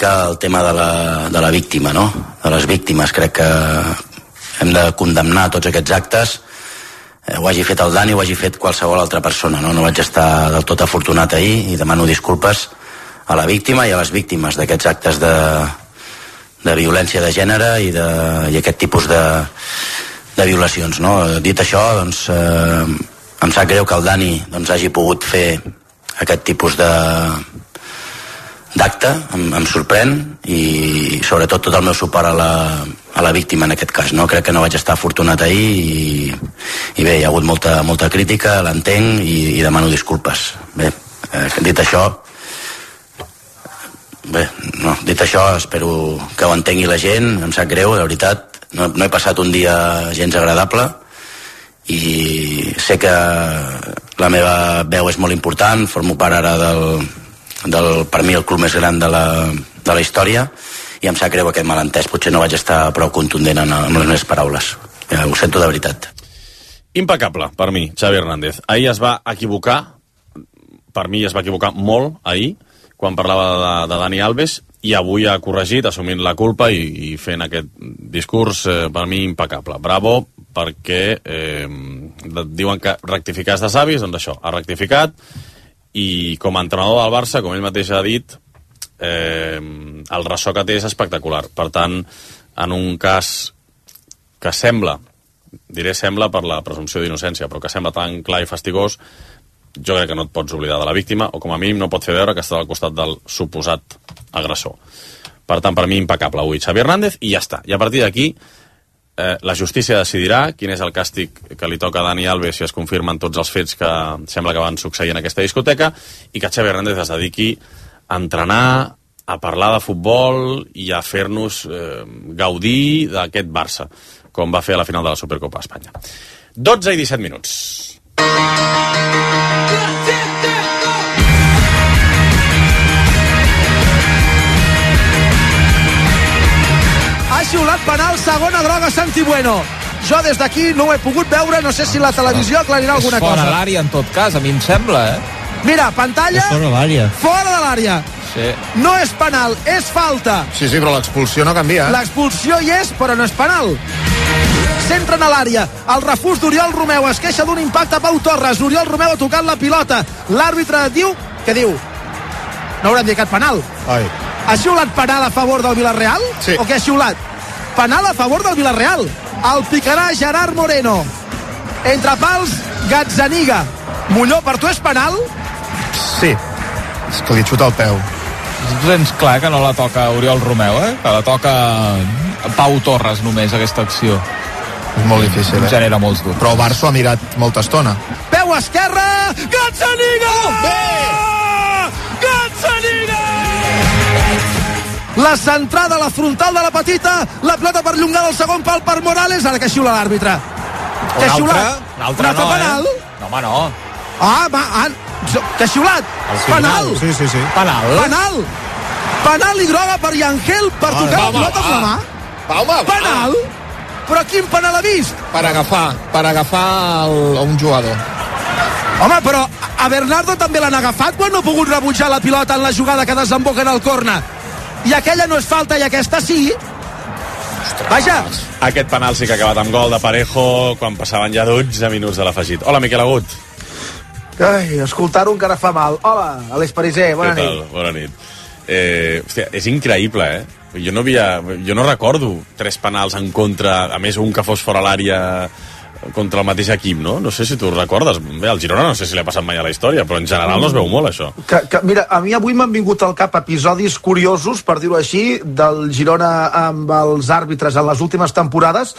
el tema de la víctima, no? De les víctimes. Crec que hem de condemnar tots aquests actes, ho hagi fet el Dani o ho hagi fet qualsevol altra persona, no? No vaig estar del tot afortunat ahir i demano disculpes a la víctima i a les víctimes d'aquests actes de violència de gènere i aquest tipus de violacions, no? Dit això, doncs, em sap greu que el Dani hagi pogut fer aquest tipus d'acte, em sorprèn, i sobretot tot el meu suport a la víctima en aquest cas, no? Crec que no vaig estar afortunat ahir i bé, hi ha hagut molta crítica, l'entenc i demano disculpes. Bé, dit això, espero que ho entengui la gent, em sap greu, de veritat, no he passat un dia gens agradable i sé que la meva veu és molt important, formo part ara del per mi el club més gran de la història, i em sap greu aquest malentès. Potser no vaig estar prou contundent amb les meves paraules. Ho sento de veritat. Impecable, per mi, Xavi Hernández. Ahir es va equivocar, per mi es va equivocar molt ahir, quan parlava de Dani Alves, i avui ha corregit, assumint la culpa i fent aquest discurs, per mi, impecable. Bravo, perquè diuen que rectificar és de savis, doncs això, ha rectificat, i com a entrenador del Barça, com ell mateix ha dit, el ressò que té és espectacular. Per tant, en un cas que sembla, diré sembla per la presumpció d'innocència, però que sembla tan clar i fastigós, jo crec que no et pots oblidar de la víctima, o com a mínim no pot fer veure que està al costat del suposat agressor. Per tant, per mi, impecable avui Xavi Hernández, i ja està. I a partir d'aquí, la justícia decidirà quin és el càstig que li toca a Dani Alves si es confirmen tots els fets que sembla que van succeir en aquesta discoteca, i que Xavi Hernández es dediqui a entrenar, a parlar de futbol i a fer-nos gaudir d'aquest Barça, com va fer a la final de la Supercopa d'Espanya. 12 i 17 minuts. Ha xiulat penal, segona groga Santi Bueno. Jo des d'aquí no ho he pogut veure, no sé si la televisió aclarirà alguna cosa. És fora l'àrea, en tot cas, a mi em sembla, Mira, pantalla, fora l'àrea. Fora de l'àrea. Sí. No és penal, és falta. Sí, però l'expulsió no canvia. L'expulsió hi és, però no és penal. S'entren a l'àrea, el refús d'Oriol Romeu, es queixa d'un impacte a Pau Torres, Oriol Romeu ha tocat la pilota, l'àrbitre diu, què diu? No haurem dit penal. Ai. Ha xiulat penal a favor del Villarreal? Sí. O què ha xiulat? Penal a favor del Villarreal. El picarà Gerard Moreno. Entre pals, Gazzaniga. Molló, per tu és penal? Sí. És que li xuta el peu. És clar que no la toca Oriol Romeu, que la toca Pau Torres només, aquesta acció. És molt difícil, Genera molts dubtes. Però el Barça ha mirat molta estona. Peu esquerra, Gazzaniga! Gazzaniga! La centrada a la frontal de la petita, la plata perllongada al segon pal per Morales, ara que xiula l'àrbitre. Un altre no, penal? No, home, no. Que ha xiulat? Penal! Sí. Penal i groga per Yangel per tocar la pilota amb la mà. Penal? Però quin penal ha vist? Per agafar un jugador. Home, però a Bernardo també l'han agafat quan no ha pogut rebutjar la pilota en la jugada que desemboca en el córner. I aquella no és falta i aquesta sí. Vaja. Aquest penal sí que ha acabat amb gol de Parejo quan passaven ja 12 minuts de l'afegit. Hola, Miquel Agut. Ai, escoltar-ho encara fa mal. Hola, Aleix Pariser, bona nit. Bona nit. Hòstia, és increïble, Jo no recordo 3 penals en contra, a més un que fos fora l'àrea contra el mateix equip, no? No sé si tu recordes. Bé, al Girona no sé si li ha passat mai a la història, però en general no es veu molt, això. Mira, a mi avui m'han vingut al cap episodis curiosos, per dir-ho així, del Girona amb els àrbitres en les últimes temporades.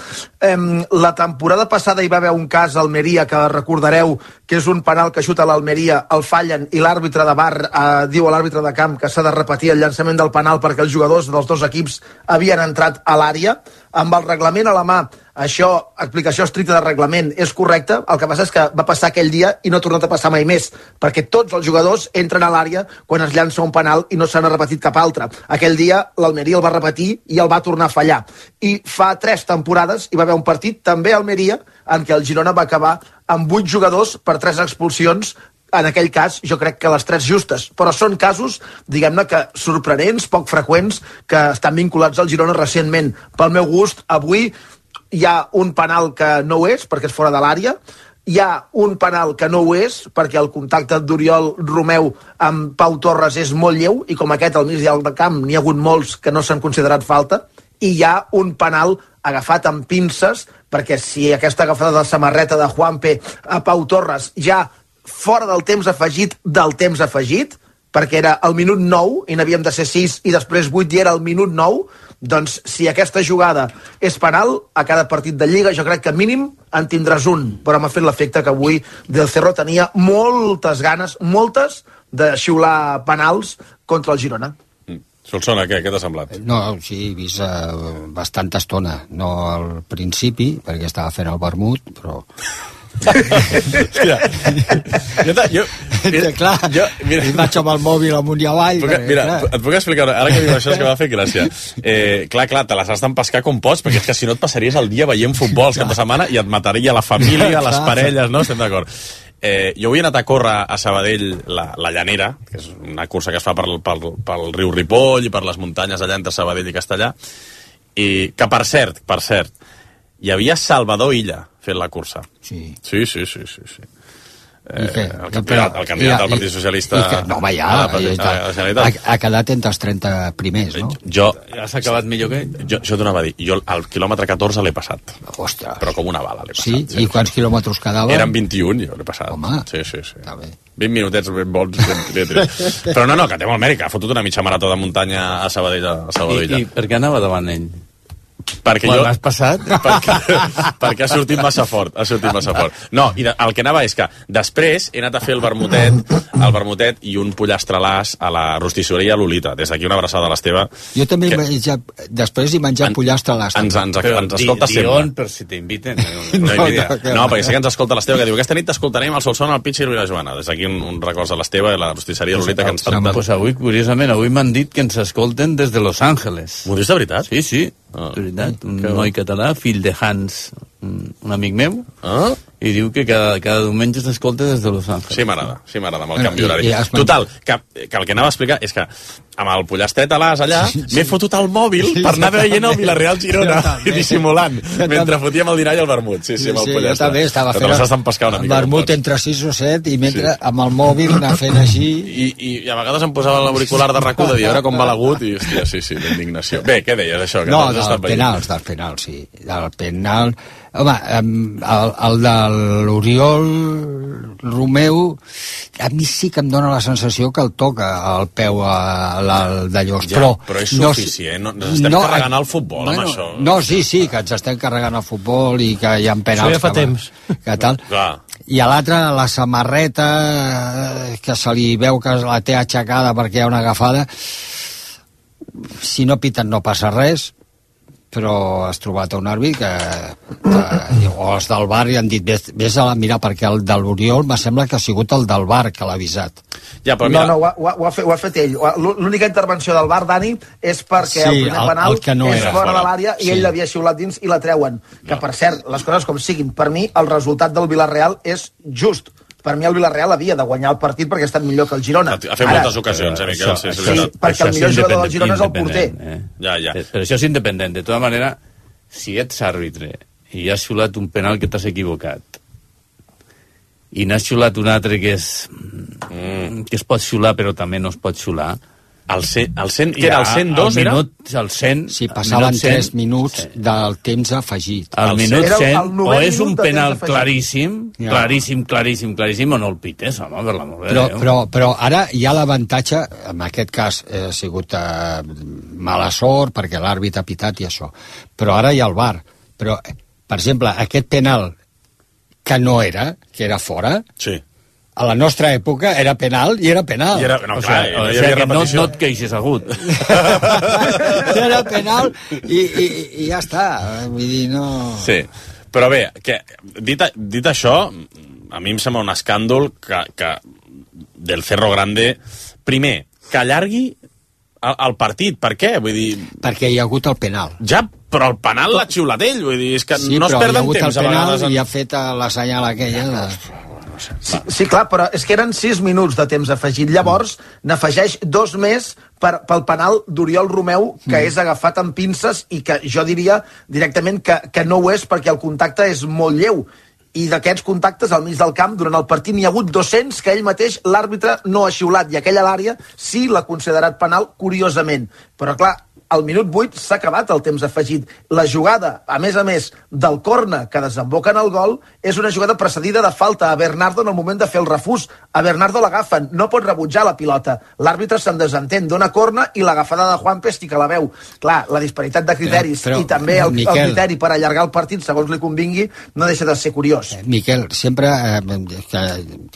La temporada passada hi va haver un cas a Almeria, que recordareu que és un penal que xuta l'Almeria, el fallen, i l'àrbitre de VAR diu a l'àrbitre de camp que s'ha de repetir el llançament del penal perquè els jugadors dels dos equips havien entrat a l'àrea. Amb el reglament a la mà, això, explicació estricta de reglament, és correcte. El que passa és que va passar aquell dia i no ha tornat a passar mai més, perquè tots els jugadors entren a l'àrea quan es llança un penal i no se n'ha repetit cap altre. Aquell dia l'Almeria el va repetir i el va tornar a fallar. I fa 3 temporades hi va haver un partit, també a Almeria, en què el Girona va acabar amb 8 jugadors per 3 expulsions en aquell cas jo crec que les 3 justes, però són casos, diguem-ne, que sorprenents, poc freqüents, que estan vinculats al Girona recentment. Pel meu gust, avui hi ha un penal que no ho és, perquè és fora de l'àrea, hi ha un penal que no ho és, perquè el contacte d'Oriol Romeu amb Pau Torres és molt lleu, i com aquest al mig del camp n'hi ha hagut molts que no s'han considerat falta, i hi ha un penal agafat amb pinces, perquè si aquesta agafada de samarreta de Juanpe a Pau Torres ja fora del temps afegit, perquè era el minut 9 i n'havíem de ser 6 i després 8 i era el minut 9, doncs si aquesta jugada és penal a cada partit de Lliga jo crec que mínim en tindràs un, però m'ha fet l'efecte que avui Del Cerro tenia moltes ganes, moltes, de xiular penals contra el Girona. Solsona, què t'ha semblat? No, sí, he vist bastanta estona, no al principi perquè estava fent el vermut, però... Mira, vaig amb el mòbil amunt i avall. Mira, et puc explicar, ara que diu això és que m'ha fet gràcia. Clar, te les has d'empescar com pots, perquè és que si no et passaries el dia veient futbol el cap de setmana i et mataria la família, les parelles, no? Estem d'acord. Jo avui he anat a córrer a Sabadell la Llanera, que és una cursa que es fa pel riu Ripoll i per les muntanyes allà entre Sabadell i Castellà, i que per cert, hi havia Salvador Illa fent la cursa. Sí. Sí. El candidat del Partit Socialista... No, home, ja ha quedat entre els 30 primers, no? Has acabat millor que ell? Jo t'ho anava a dir. Jo al quilòmetre 14 l'he passat. Ostres. Però com una bala l'he passat. Sí? I quants quilòmetres quedaven? Eren 21, jo l'he passat. Home. Sí. Està bé. 20 minutets ben bons. Però no, que té molt mèrit, ha fotut una mitja marató de muntanya a Sabadell. I per què anava davant ell? Perquè l'has passat? Perquè ha sortit massa fort. No, i el que anava és que després he anat a fer el vermutet i un pollastrelàs a la rostisseria Lolita. Des d'aquí una abraçada a l'Esteve. Jo també després he menjat pollastrelàs. Ens escolta sempre. Dion, per si t'inviten. No, perquè sé que ens escolta l'Esteve, que diu aquesta nit t'escoltarem al Solsona, al Pitxer i la Joana. Des d'aquí un record a l'Esteve i la rostisseria Lolita que ens tracten. Pues avui, curiosament, m'han dit que ens escolten des de Los Ángeles. M'ho dius de veritat? Sí. De veritat, un noi català, fill de Hans, un amic meu, i diu que cada diumenge s'escolta des de Los Ángeles. Sí, m'agrada, amb el canvi horari. Total, que el que anava a explicar és que amb el pollastet a l'as allà m'he fotut el mòbil per anar veient el Villarreal Girona i dissimulant, mentre fotíem el dinar i el vermut. Sí, amb el pollastet. Jo també estava fent el vermut entre 6 o 7 i mentre amb el mòbil anar fent així... I a vegades em posava l'auricular de RAC1 de dir, a veure com va l'agut, i hòstia, sí, l'indignació. Bé, què deies, això? No, dels penals, sí. Del penal... Home, el de l'Oriol Romeu, a mi sí que em dóna la sensació que el toca el peu d'allò. Ja, però és suficient, ens estem carregant el futbol amb això. No, sí, que ens estem carregant el futbol i que hi ha penals. Això ja fa temps. Que tal. I a l'altre, la samarreta, que se li veu que la té aixecada perquè hi ha una agafada, si no piten no passa res, però has trobat un àrbit o els del bar i han dit vés a mirar, perquè el de l'Oriol me sembla que ha sigut el del bar que l'ha avisat. Ja, però mira... No, ho ha fet ell. L'única intervenció del bar, Dani, és perquè el primer penal és fora de l'àrea i ell l'havia xiulat dins i la treuen. Que, per cert, les coses com siguin, per mi el resultat del Villarreal és just. Per mi el Villarreal havia de guanyar el partit perquè ha estat millor que el Girona. Ha fet moltes ocasions, Miquel. Sí, perquè el millor jugador del Girona és el porter. Ja. Però això és independent. De tota manera, si ets àrbitre i has xulat un penal que t'has equivocat i n'has xulat un altre que es pot xular però també no es pot xular, el 100, que era el 102, era? El 100... Si passaven 3 minuts del temps afegit. Al minut 100, o és un penal claríssim, claríssim, o no el pites, home, per l'amor de Déu. Però ara hi ha l'avantatge, en aquest cas ha sigut mala sort, perquè l'àrbit ha pitat i això, però ara hi ha el VAR. Però, per exemple, aquest penal que no era, que era fora... Sí. A la nostra època era penal i era penal. No et queixes agut. Era penal i ja està. Vull dir, no... Sí, però bé, dit això, a mi em sembla un escàndol que del Cerro Grande, primer, que allargui el partit. Per què? Vull dir... Perquè hi ha hagut el penal. Ja, però el penal l'ha xiulat ell, vull dir, és que no es perden temps a vegades. Sí, però hi ha hagut el penal i ha fet la senyal aquella de... sé. Sí, clar, però és que eren 6 minuts de temps afegit. Llavors, n'afegeix 2 més pel penal d'Oriol Romeu, que és agafat amb pinces i que jo diria directament que no ho és perquè el contacte és molt lleu. I d'aquests contactes al mig del camp durant el partit n'hi ha hagut 200 que ell mateix, l'àrbitre, no ha xiulat, i aquella a l'àrea sí l'ha considerat penal, curiosament. Però clar, al minut 8 s'ha acabat el temps afegit. La jugada, a més, del córner que desemboca en el gol, és una jugada precedida de falta a Bernardo en el moment de fer el refús. A Bernardo l'agafen, no pot rebutjar la pilota. L'àrbitre se'n desentén, dona córner i l'agafada de Juanpe sí que la veu. Clar, la disparitat de criteris i també el criteri per allargar el partit, segons li convingui, no deixa de ser curiós. Miquel, sempre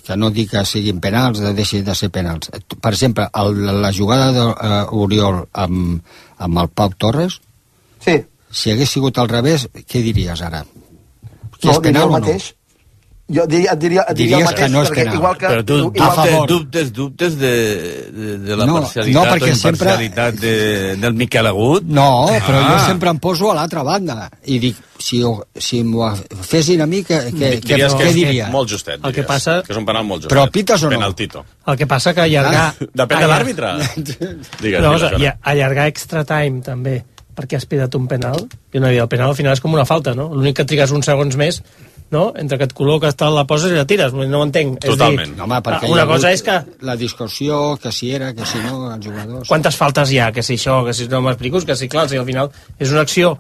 que no dic que siguin penals, deixi de ser penals. Per exemple, la jugada d'Oriol amb el Pau Torres, sí. Si hagués sigut al revés, què diries ara? Que No, és penal o no? Jo et diria el mateix, que no és penal. Igual que... Però tu dubtes de la parcialitat o imparcialitat del Miquel Agut? No, però jo sempre em poso a l'altra banda i dic, si m'ho fessin a mi, què diria? Molt justet, diries. El que passa... Que és un penal molt justet. Però pites o no? Penaltito. El que passa que allargar... Depèn de l'àrbitre. Allargar extra time, també, perquè has pidat un penal, i una vida, el penal al final és com una falta, no? L'únic que trigues uns segons més, no? Entre que et col·loques, la poses i la tires, no ho entenc. Totalment. No, home, perquè una cosa és que... La discussió, que si era, que si no, els jugadors... Quantes faltes hi ha? Que si això, que si no m'explico, que si clar, si al final és una acció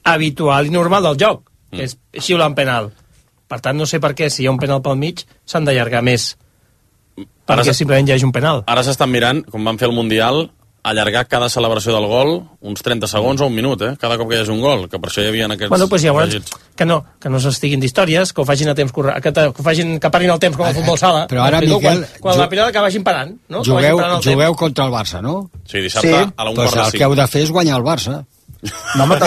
habitual i normal del joc, que és xiular un penal. Per tant, no sé per què, si hi ha un penal pel mig, s'han d'allargar més. Perquè simplement hi hagi un penal. Ara s'estan mirant, com van fer el Mundial, allargar cada celebració del gol uns 30 segons o un minut, cada cop que hi hagi un gol, que per això hi havia aquests... Bueno, doncs llavors, que no s'estiguin d'històries, que ho facin a temps que parin el temps com a futbol sala. Però ara, Miquel... Quan la pilota que vagin parant, no? Jugueu contra el Barça, no? Sí, dissabte a la 1:45. Doncs el que heu de fer és guanyar el Barça. No, home,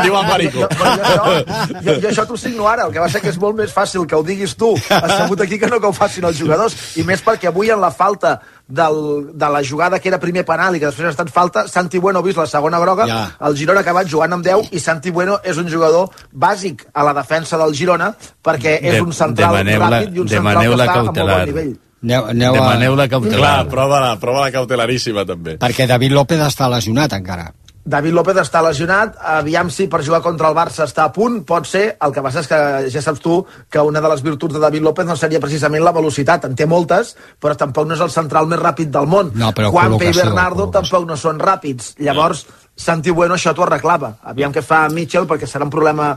diu el Marico. Jo això t'ho signo ara. El que va ser que és molt més fàcil que ho diguis tu assegut aquí que no que ho facin els jugadors, i més perquè avui en la falta de la jugada que era primer penal i que després ha estat falta, Santi Bueno ha vist la segona groga, el Girona ha acabat jugant amb 10 i Santi Bueno és un jugador bàsic a la defensa del Girona perquè és un central ràpid i un central que està a molt bon nivell. Demaneu la cautelar. Clar, prova la cautelaríssima també. Perquè David López està lesionat encara. David López està lesionat, aviam si per jugar contra el Barça està a punt, pot ser, el que passa és que ja saps tu que una de les virtuts de David López no seria precisament la velocitat, en té moltes, però tampoc no és el central més ràpid del món. No, Juanpe i Bernardo tampoc no són ràpids, llavors Santi Bueno això t'ho arreglava, aviam què fa Mitchell perquè serà un problema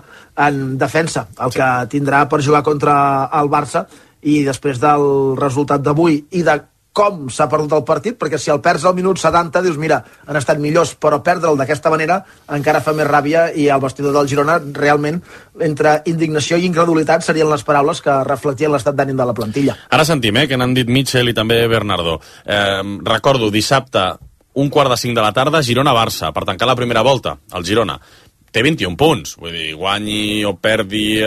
en defensa, el que tindrà per jugar contra el Barça, i després del resultat d'avui i de com s'ha perdut el partit, perquè si el perds al minut 70 dius, mira, han estat millors, però perdre'l d'aquesta manera encara fa més ràbia, i el vestidor del Girona realment, entre indignació i incredulitat serien les paraules que reflectien l'estat d'ànim de la plantilla. Ara sentim, que n'han dit Mitchell i també Bernardo. Recordo, dissabte, 1:45 de la tarda, Girona-Barça, per tancar la primera volta, el Girona. Té 21 punts, vull dir, guanyi o perdi,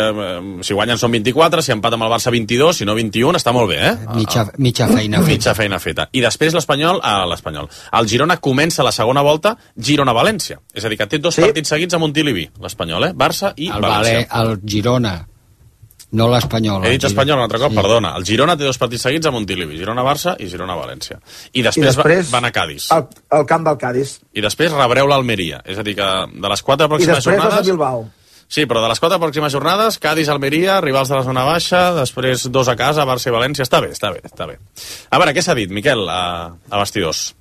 si guanyen són 24, si empata amb el Barça 22, si no 21, està molt bé, Mitja feina feta. Mitja feina feta. I després l'Espanyol, el Girona comença la segona volta Girona-València, és a dir, que té 2 partits seguits a Montilivi, l'Espanyol, Barça i València. El Girona, no l'Espanyol. He dit Espanyol un altre cop, perdona. El Girona té 2 partits seguits a Montilivi, Girona-Barça i Girona-València. I després van a Cádiz. Al camp del Cádiz. I després rebreu l'Almeria, és a dir, que de les 4 pròximes jornades... I després vas a Bilbao. Sí, però de les 4 pròximes jornades, Cádiz-Almeria, rivals de la zona baixa, després 2 a casa, Barça i València. Està bé. A veure, què s'ha dit, Miquel, a vestidors?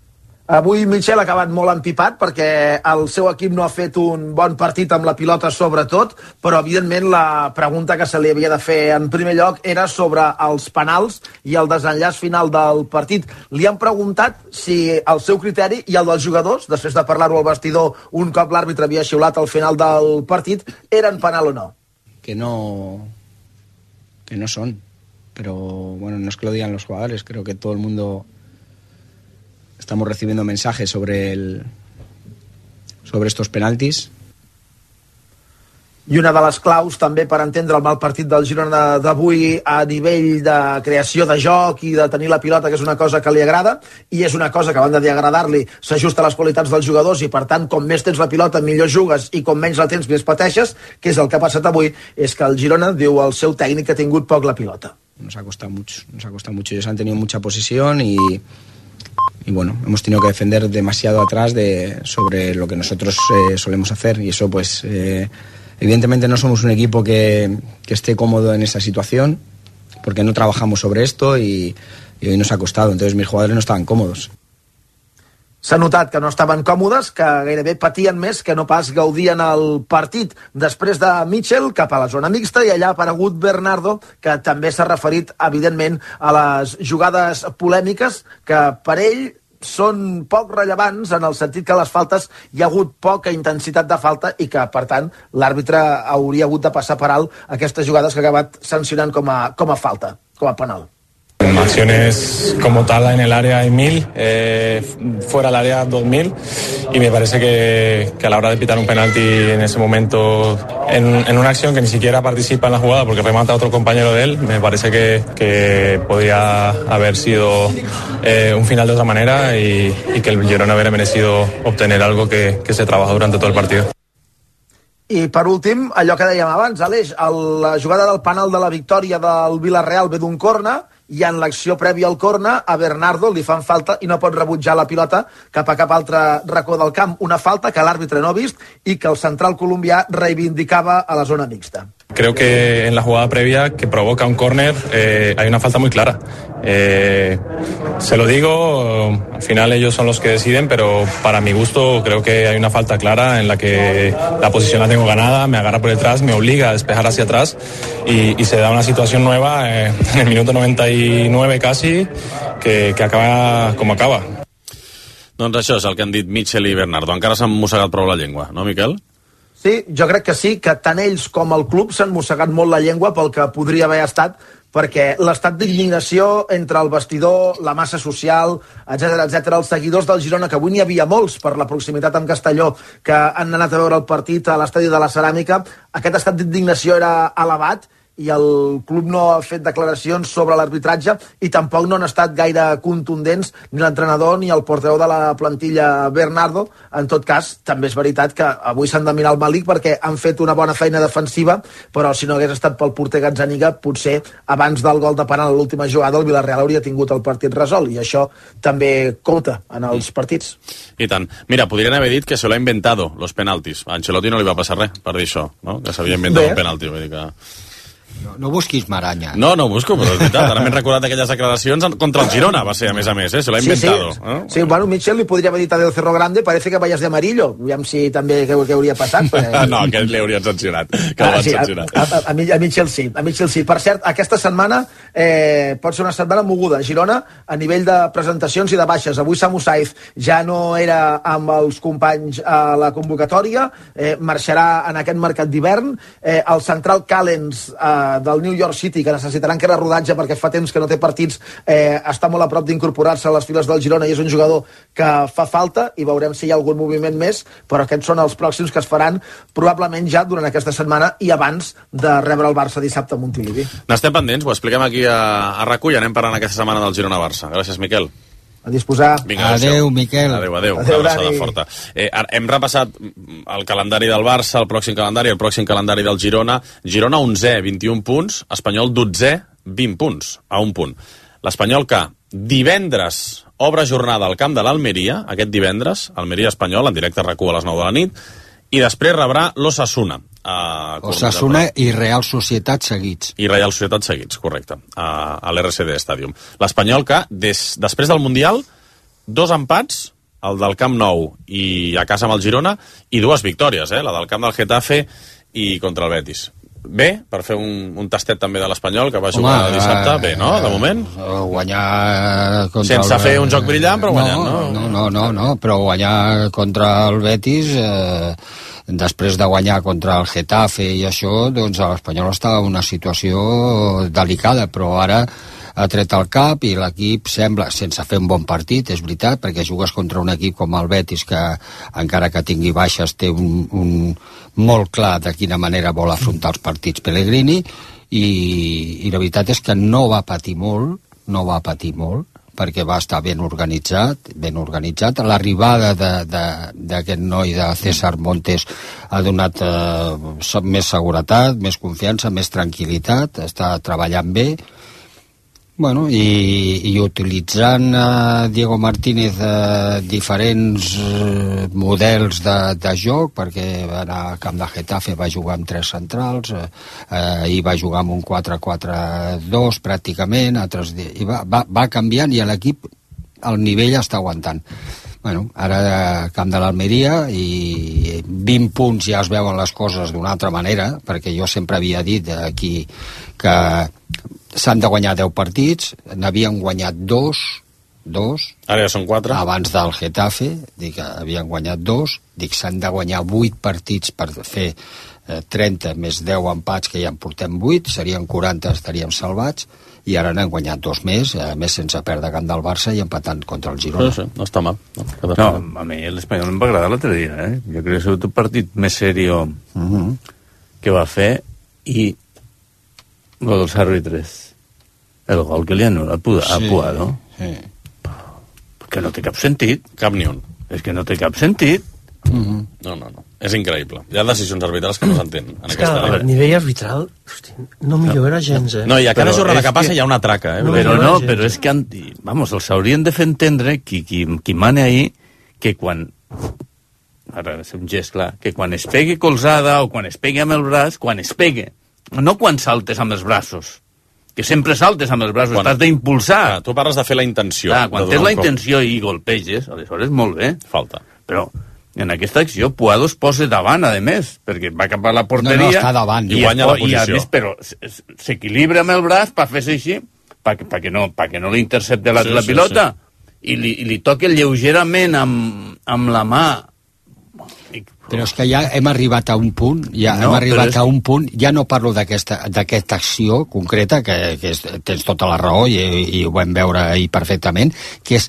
Avui Mitchell ha acabat molt empipat perquè el seu equip no ha fet un bon partit amb la pilota sobretot, però evidentment la pregunta que se li havia de fer en primer lloc era sobre els penals i el desenllaç final del partit. Li han preguntat si el seu criteri i el dels jugadors, després de parlar-ho al vestidor un cop l'àrbitre havia xiulat al final del partit, eren penal o no. Que no son, pero bueno, no es que lo digan los jugadores, creo que todo el mundo estamos recibiendo mensajes sobre estos penaltis. I una de les claus també per entendre el mal partit del Girona d'avui a nivell de creació de joc i de tenir la pilota, que és una cosa que li agrada, i és una cosa que a banda d'agradar-li s'ajusta a les qualitats dels jugadors, i per tant com més tens la pilota millor jugues i com menys la tens més pateixes, que és el que ha passat avui, és que el Girona, diu el seu tècnic, que ha tingut poc la pilota. nos ha costado mucho. Ellos han tenido mucha posesión y bueno, hemos tenido que defender demasiado atrás sobre lo que nosotros solemos hacer, y eso pues evidentemente no somos un equipo que esté cómodo en esa situación, porque no trabajamos sobre esto y hoy nos ha costado. Entonces mis jugadores no estaban cómodos. S'ha notat que no estaven còmodes, que gairebé patien més que no pas gaudien el partit. Després de Mitchell, cap a la zona mixta, i allà ha aparegut Bernardo, que també s'ha referit, evidentment, a les jugades polèmiques, que per ell són poc rellevants, en el sentit que a les faltes hi ha hagut poca intensitat de falta i que, per tant, l'àrbitre hauria hagut de passar per alt aquestes jugades que ha acabat sancionant com a falta, com a penal. Acciones como tal en el área hay 1000, fuera del área 2000, y me parece que a la hora de pitar un penalti en ese momento, en una acción que ni siquiera participa en la jugada porque remata a otro compañero de él, me parece que podría haber sido un final de otra manera y que el Girona hubiera merecido obtener algo que se trabajó durante todo el partido. I per últim, allò que dèiem abans, Aleix, la jugada del penal de la victòria del Villarreal ve d'un córner, i en l'acció prèvia al córner a Bernardo li fan falta i no pot rebutjar la pilota cap a cap altre racó del camp. Una falta que l'àrbitre no ha vist i que el central colombià reivindicava a la zona mixta. Creo que en la jugada previa que provoca un córner hay una falta muy clara. Se lo digo, al final ellos son los que deciden, pero para mi gusto creo que hay una falta clara en la que la posición la tengo ganada, me agarra por detrás, me obliga a despejar hacia atrás y se da una situación nueva en el minuto 99 casi que acaba com acaba. Doncs això és el que han dit Mitchell i Bernardo. Encara s'han mossegat prou la llengua, no, Miquel? Sí, jo crec que sí, que tant ells com el club s'han mossegat molt la llengua pel que podria haver estat, perquè l'estat d'indignació entre el vestidor, la massa social, etc, els seguidors del Girona, que avui n'hi havia molts per la proximitat amb Castelló, que han anat a veure el partit a l'estadi de la Ceràmica, aquest estat d'indignació era elevat, i el club no ha fet declaracions sobre l'arbitratge i tampoc no han estat gaire contundents ni l'entrenador ni el portaveu de la plantilla Bernardo. En tot cas, també és veritat que avui s'han de mirar el Malik perquè han fet una bona feina defensiva, però si no hagués estat pel porter Gazzaniga, potser abans del gol de penal a l'última jugada el Villarreal hauria tingut el partit resolt, i això també compta en els partits. I tant. Mira, podrien haver dit que se lo ha inventado, los penaltis. A Ancelotti no li va passar res per dir això, no? Que s'havia inventat un penalti. Vull dir que... No busquis maranya. No busco, però és veritat. Ara m'he recordat d'aquelles declaracions contra el Girona, va ser, a més, se l'ha inventado. Sí, bueno, Mitchell li podria haver dit a Del Cerro Grande, parece que vayas de amarillo. Aviam si també què hauria passat. No, aquest li haurien sancionat. A Mitchell sí. Per cert, aquesta setmana pot ser una setmana moguda. Girona, a nivell de presentacions i de baixes. Avui Samu Saiz ja no era amb els companys a la convocatòria, marxarà en aquest mercat d'hivern. El central Callens del New York City, que necessitarà encara rodatge perquè fa temps que no té partits, està molt a prop d'incorporar-se a les files del Girona i és un jugador que fa falta, i veurem si hi ha algun moviment més, però aquests són els pròxims que es faran probablement ja durant aquesta setmana i abans de rebre el Barça dissabte a Montilivi. N'estem pendents, ho expliquem aquí a RAC1 i anem parlant aquesta setmana del Girona-Barça. Gràcies, Miquel. A disposar. Vinga, adéu, Miquel. Adéu. Una abraçada forta. Hem repassat el calendari del Barça, el pròxim calendari del Girona. Girona 11è, 21 punts. Espanyol 12è, 20 punts, a un punt. L'Espanyol que divendres obre jornada al camp de l'Almeria, aquest divendres, Almeria-Espanyol, en directe a RAC1 a les 9 de la nit, i després rebrà l'Osasuna. Osasuna i Real Societat seguits. I Real Societat seguits, correcte, a l'RCD Stadium. L'Espanyol que, després del Mundial, 2 empats, el del Camp Nou i a casa amb el Girona, i 2 victòries, la del camp del Getafe i contra el Betis. Bé, per fer un tastet també de l'Espanyol, que va jugar dissabte, bé, no?, de moment. Guanyar contra sense fer un joc brillant, però guanyant, no? No, però guanyar contra el Betis, després de guanyar contra el Getafe i això, doncs l'Espanyol està en una situació delicada, però ara ha tret el cap i l'equip sembla, sense fer un bon partit, és veritat, perquè jugues contra un equip com el Betis que, encara que tingui baixes, té un molt clar de quina manera vol afrontar els partits Pellegrini, i la veritat és que no va patir molt, perquè va estar ben organitzat. L'arribada d'aquest noi de César Montes ha donat més seguretat, més confiança, més tranquil·litat, està treballant bé, Bueno, i utilitzant Diego Martínez diferents models de joc, perquè va anar al camp de Getafe, va jugar amb 3 centrals, i va jugar amb un 4-4-2 pràcticament, i va canviant, i l'equip el nivell està aguantant. Bueno, ara camp de l'Almeria, i 20 punts ja es veuen les coses d'una altra manera, perquè jo sempre havia dit aquí que s'han de guanyar 10 partits, n'havien guanyat 2, ara ja són 4. Abans del Getafe, dic que havien guanyat 2, dic s'han de guanyar 8 partits per fer 30 més 10 empats, que ja en portem 8, serien 40, estaríem salvats, i ara n'han guanyat 2 més, a més sense perdre camp del Barça i empatant contra el Girona. Sí, no està mal. No, a mi l'Espanyol em va agradar l'altre dia, Jo crec que ha sigut un partit més serio que va fer, i lo dels àrbitres, el gol que li anul·la a Puado, que no té cap sentit. Cap ni un. És que no té cap sentit. No. És increïble. Hi ha decisions arbitrals que no s'entenen. És que el nivell arbitral no millora gens, No, i a cada jornada que passa hi ha una traca, Però és que, vamos, els haurien de fer entendre qui mane ahí, que quan, ara és un gest clar, que quan es pegue colzada o quan es pegue amb el braç, quan es pegue, no quan saltes amb els braços, que sempre saltes amb els braços, t'has d'impulsar. Tu parles de fer la intenció. Quan tens la intenció i golpeges, aleshores molt bé. Falta. Però en aquesta acció Puado es posa davant, a més, perquè va cap a la porteria. No, està davant. I guanya la posició. I a més, però s'equilibra amb el braç per fer-se així, perquè no li intercepta la pilota, i li toca lleugerament amb la mà. Però és que ja hem arribat a un punt, ja no parlo d'aquesta acció concreta, que tens tota la raó, i ho vam veure ahir perfectament, que és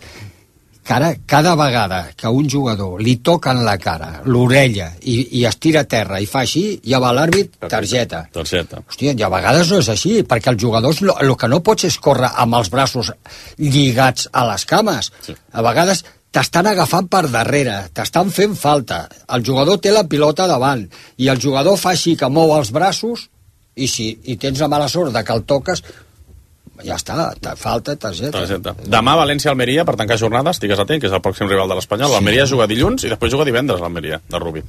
que ara, cada vegada que un jugador li toquen la cara, l'orella, i es tira a terra i fa així, ja va l'àrbit, targeta. Hòstia, i a vegades no és així, perquè els jugadors el que no pots és córrer amb els braços lligats a les cames. A vegades t'estan agafant per darrere, t'estan fent falta, el jugador té la pilota davant, i el jugador fa així que mou els braços, i tens la mala sort de que el toques, ja està, falta targeta. Demà València-Almeria, per tancar jornada, estigues atent, que és el pròxim rival de l'Espanyol. L'Almeria juga dilluns i després juga divendres l'Almeria, de Rubí.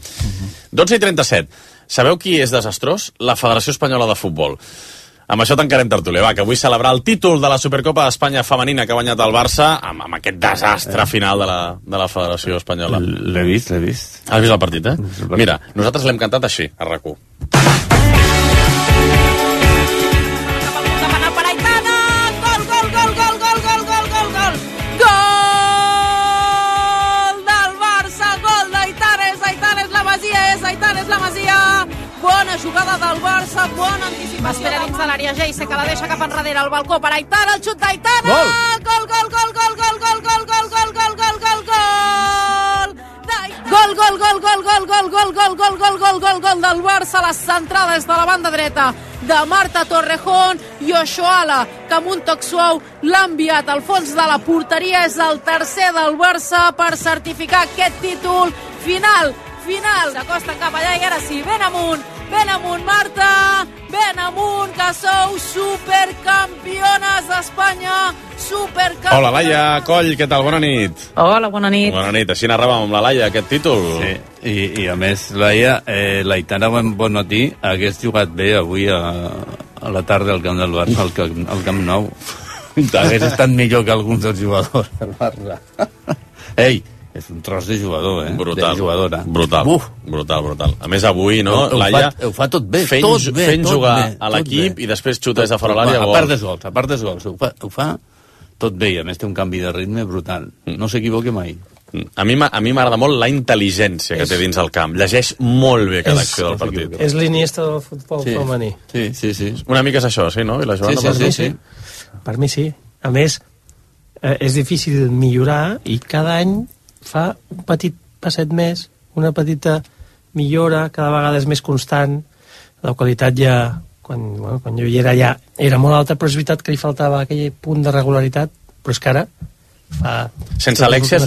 12:37. Sabeu qui és desastrós? La Federació Espanyola de Futbol. Amb això tancarem tertúlia, que vull celebrar el títol de la Supercopa d'Espanya femenina que ha guanyat el Barça amb aquest desastre final de la Federació Espanyola. L'he vist. Has vist el partit, Mira, nosaltres l'hem cantat així, a RAC1. Bona jugada del Barça, bona anticipació. Espera dins de l'àrea, Geise, que la deixa cap enrere, al balcó per Aitana, el xut d'Aitana! Gol! Gol, gol, gol, gol, gol, gol, gol, gol, gol, gol, gol, gol, gol! Gol, gol, gol, gol, gol, gol, gol, gol, gol, gol, gol, gol, gol del Barça, la centrada és de la banda dreta de Marta Torrejón i Oshoala, que amb un toc suau l'ha enviat al fons de la porteria. És el tercer del Barça per certificar aquest títol final. S'acosten cap allà i ara sí, ben amunt, Marta, ben amunt, que sou supercampiones d'Espanya, supercampiones. Hola, Laia Coll, què tal? Bona nit. Hola, bona nit. Bona nit, així narràvem amb la Laia aquest títol. Sí, i a més, Laia, l'Aitana Bonmatí hagués jugat bé avui a la tarda al camp del Barça, al Camp Nou. Hagués estat millor que alguns dels jugadors del Barça. Ei, és un tros de jugador, Brutal. De jugadora. Brutal. A més, avui, no, Laia... Ho fa tot bé, fent jugar a l'equip i després xuta des de fora l'àrea. A part dels gols. Ho fa tot bé, i a més té un canvi de ritme brutal. No s'equivoca mai. A mi m'agrada molt la intel·ligència que té dins el camp. Llegeix molt bé cada acció del partit. És l'Iniesta del futbol femení. Sí. Una mica és això, sí, no? I la Joana, sí. Per mi sí. A més, és difícil millorar i cada any fa un petit passet més, una petita millora, cada vegada és més constant. La qualitat ja, quan jo hi era, ja era molt alta, però és veritat que li faltava aquell punt de regularitat, però és que ara fa... Sense Alexia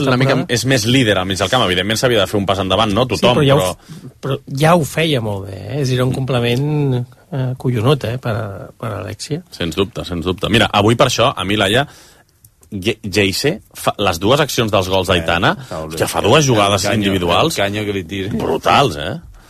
és més líder al mig del camp, evidentment s'havia de fer un pas endavant, no? Tothom, però ja ho feia molt bé, és a dir, un complement collonut, per Alexia. Sens dubte, sens dubte. Mira, avui per això, a mi Laia, Geise, les dues accions dels gols d'Aitana, que fa dues jugades individuals brutals,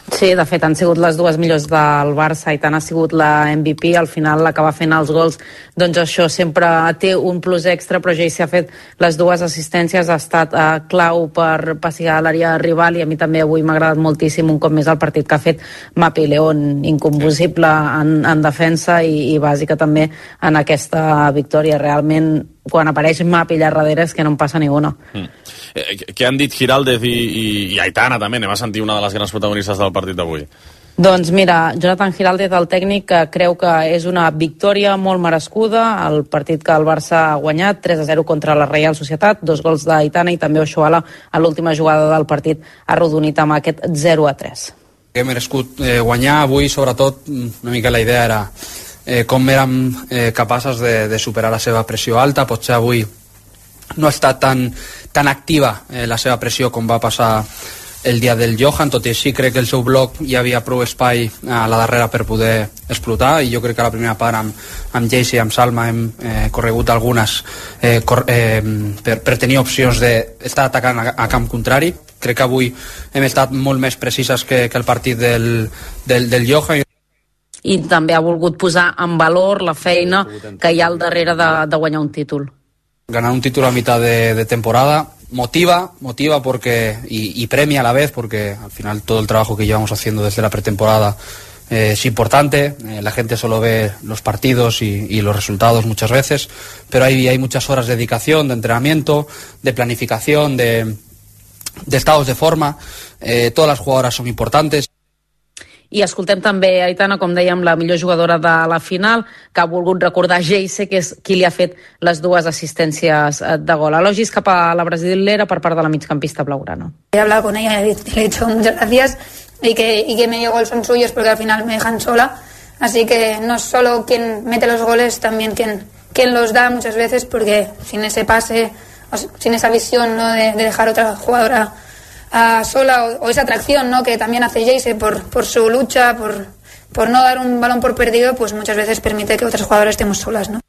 Sí, de fet, han sigut les dues millors del Barça. Aitana ha sigut la MVP, al final la que va fent els gols, doncs això sempre té un plus extra, però Geise ha fet les dues assistències, ha estat clau per passigar l'àrea rival, i a mi també avui m'ha agradat moltíssim un cop més el partit que ha fet Mapi León, incombustible en defensa i bàsica també en aquesta victòria. Realment, quan apareix Mapi allà darrere és que no en passa ni una. Què han dit Giraldez i Aitana també? Anem a sentir una de les grans protagonistes del partit d'avui. Doncs mira, Jonathan Giraldez, el tècnic, creu que és una victòria molt merescuda, el partit que el Barça ha guanyat 3-0 contra la Reial Societat, 2 gols d'Aitana, i també Oshuala a l'última jugada del partit ha arrodonit amb aquest 0-3. Hem merescut guanyar avui, sobretot una mica la idea era com érem capaces de superar la seva pressió alta. Potser avui no ha estat tan activa la seva pressió com va passar el dia del Johan, tot i així crec que el seu bloc hi havia prou espai a la darrera per poder explotar, i jo crec que a la primera part amb Geise i amb Salma hem corregut algunes per tenir opcions d'estar atacant a camp contrari. Crec que avui hem estat molt més precises que el partit del Johan. I també ha volgut posar en valor la feina que hi ha al darrere de guanyar un títol. Ganar un título a mitad de temporada motiva porque y premia a la vez, porque al final todo el trabajo que llevamos haciendo desde la pretemporada es importante. La gente solo ve los partidos y los resultados muchas veces, pero hay muchas horas de dedicación, de entrenamiento, de planificación, de estados de forma. Todas las jugadoras son importantes. I escoltem també Aitana, com dèiem, la millor jugadora de la final, que ha volgut recordar Geise, que és qui li ha fet les dues assistències de gol. Elogis cap a la brasilera per part de la migcampista blaugrana. He hablado con ella y le he dicho muchas gracias y que medio gol son suyos porque al final me dejan sola. Así que no solo quien mete los goles, también quien los da muchas veces, porque sin ese pase, sin esa visión, ¿no?, de dejar a otra jugadora sola, o esa atracción, ¿no?, que también hace Geise por su lucha, por no dar un balón por perdido, pues muchas veces permite que otras jugadoras estemos solas, ¿no?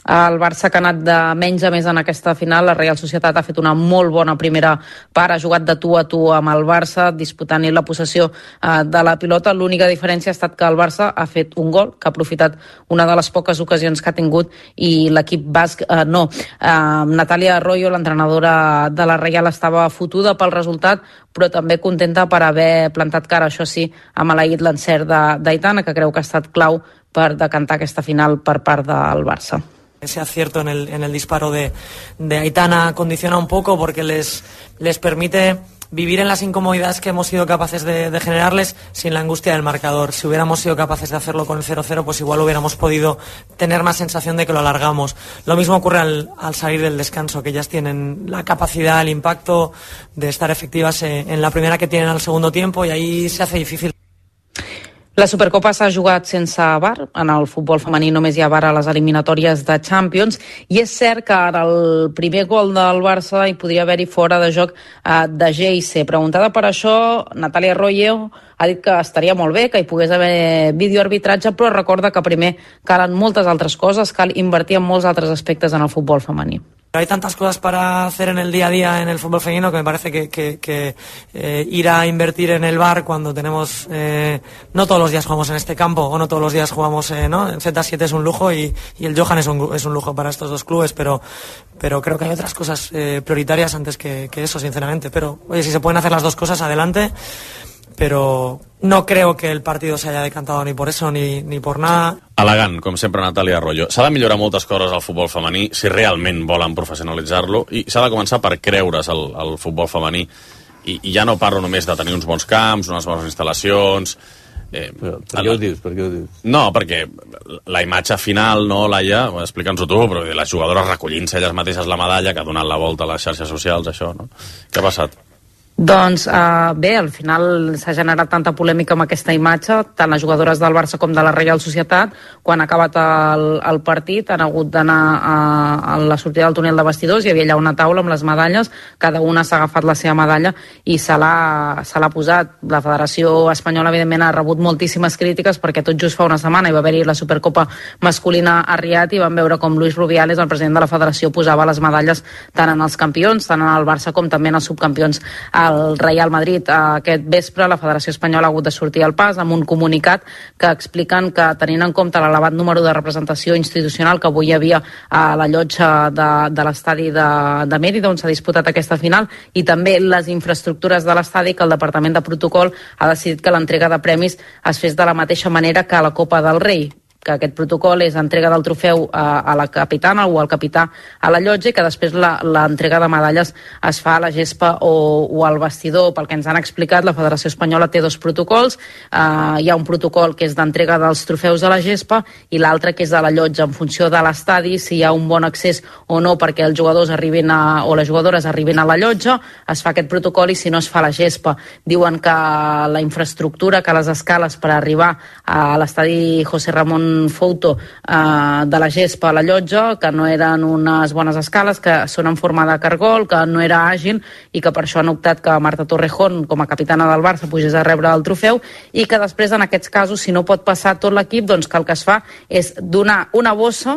El Barça, que ha anat de menys a més en aquesta final, la Real Societat ha fet una molt bona primera part, ha jugat de tu a tu amb el Barça, disputant-hi la possessió de la pilota. L'única diferència ha estat que el Barça ha fet un gol, que ha aprofitat una de les poques ocasions que ha tingut, i l'equip basc no. Natàlia Arroyo, l'entrenadora de la Real, estava fotuda pel resultat, però també contenta per haver plantat cara, això sí, amb maleït l'encert d'Aitana, que creu que ha estat clau per decantar aquesta final per part del Barça. Ese acierto en el disparo de Aitana condiciona un poco, porque les permite vivir en las incomodidades que hemos sido capaces de generarles sin la angustia del marcador. Si hubiéramos sido capaces de hacerlo con el 0-0, pues igual hubiéramos podido tener más sensación de que lo alargamos. Lo mismo ocurre al salir del descanso, que ellas tienen la capacidad, el impacto de estar efectivas en la primera que tienen al segundo tiempo, y ahí se hace difícil. La Supercopa s'ha jugat sense VAR. En el futbol femení només hi ha VAR a les eliminatòries de Champions, i és cert que en el primer gol del Barça hi podria haver-hi fora de joc de Geise. Preguntada per això, Natàlia Arroyo ha dit que estaria molt bé que hi pogués haver videoarbitratge, però recorda que primer calen moltes altres coses, cal invertir en molts altres aspectes en el futbol femení. Hay tantas cosas para hacer en el día a día en el fútbol femenino que me parece que ir a invertir en el VAR cuando tenemos no todos los días jugamos en este campo, o no todos los días jugamos ¿no? En Z7 es un lujo, y el Johan es un lujo para estos dos clubes, pero creo que hay otras cosas prioritarias antes que eso, sinceramente. Pero oye, si se pueden hacer las dos cosas, adelante. Però no creo que el partido se haya decantado ni por eso ni por nada. Elegant, com sempre, Natàlia Arroyo. S'ha de millorar moltes coses al futbol femení si realment volen professionalitzar-lo, i s'ha de començar per creure's al futbol femení, i ja no parlo només de tenir uns bons camps, unes bones instal·lacions. Per què ho dius? No, perquè la imatge final, no, Laia, explica'ns-ho tu, però les jugadores recollint-se elles mateixes la medalla, que ha donat la volta a les xarxes socials, això, no? Què ha passat? Doncs bé, al final s'ha generat tanta polèmica amb aquesta imatge, tant les jugadores del Barça com de la Reial Societat. Quan ha acabat el partit han hagut d'anar a la sortida del túnel de vestidors, hi havia allà una taula amb les medalles, cada una s'ha agafat la seva medalla i se l'ha posat. La Federació Espanyola evidentment ha rebut moltíssimes crítiques perquè tot just fa una setmana hi va haver-hi la Supercopa masculina a Riad i vam veure com Luis Rubiales, el president de la federació, posava les medalles tant en els campions, tant en el Barça com també en els subcampions el Real Madrid. Aquest vespre la Federació Espanyola ha hagut de sortir al pas amb un comunicat que expliquen que, tenint en compte l'elevat número de representació institucional que avui hi havia a la llotja de l'estadi de Mérida, on s'ha disputat aquesta final, i també les infraestructures de l'estadi, que el Departament de Protocol ha decidit que l'entrega de premis es fes de la mateixa manera que a la Copa del Rei, que aquest protocol és entrega del trofeu a la capitana o al capità a la llotja i que després l'entrega de medalles es fa a la gespa o al vestidor. Pel que ens han explicat, la Federació Espanyola té dos protocols. Hi ha un protocol que és d'entrega dels trofeus a la gespa i l'altre que és de la llotja, en funció de l'estadi, si hi ha un bon accés o no perquè els jugadors arribin o les jugadores arribin a la llotja, es fa aquest protocol, i si no es fa a la gespa. Diuen que la infraestructura, que les escales per arribar a l'estadi José Ramón Fouto de la gespa a la llotja, que no eren unes bones escales, que són en forma de cargol, que no era àgil i que per això han optat que Marta Torrejón, com a capitana del Barça, pugés a rebre el trofeu, i que després, en aquests casos, si no pot passar tot l'equip, doncs que el que es fa és donar una bossa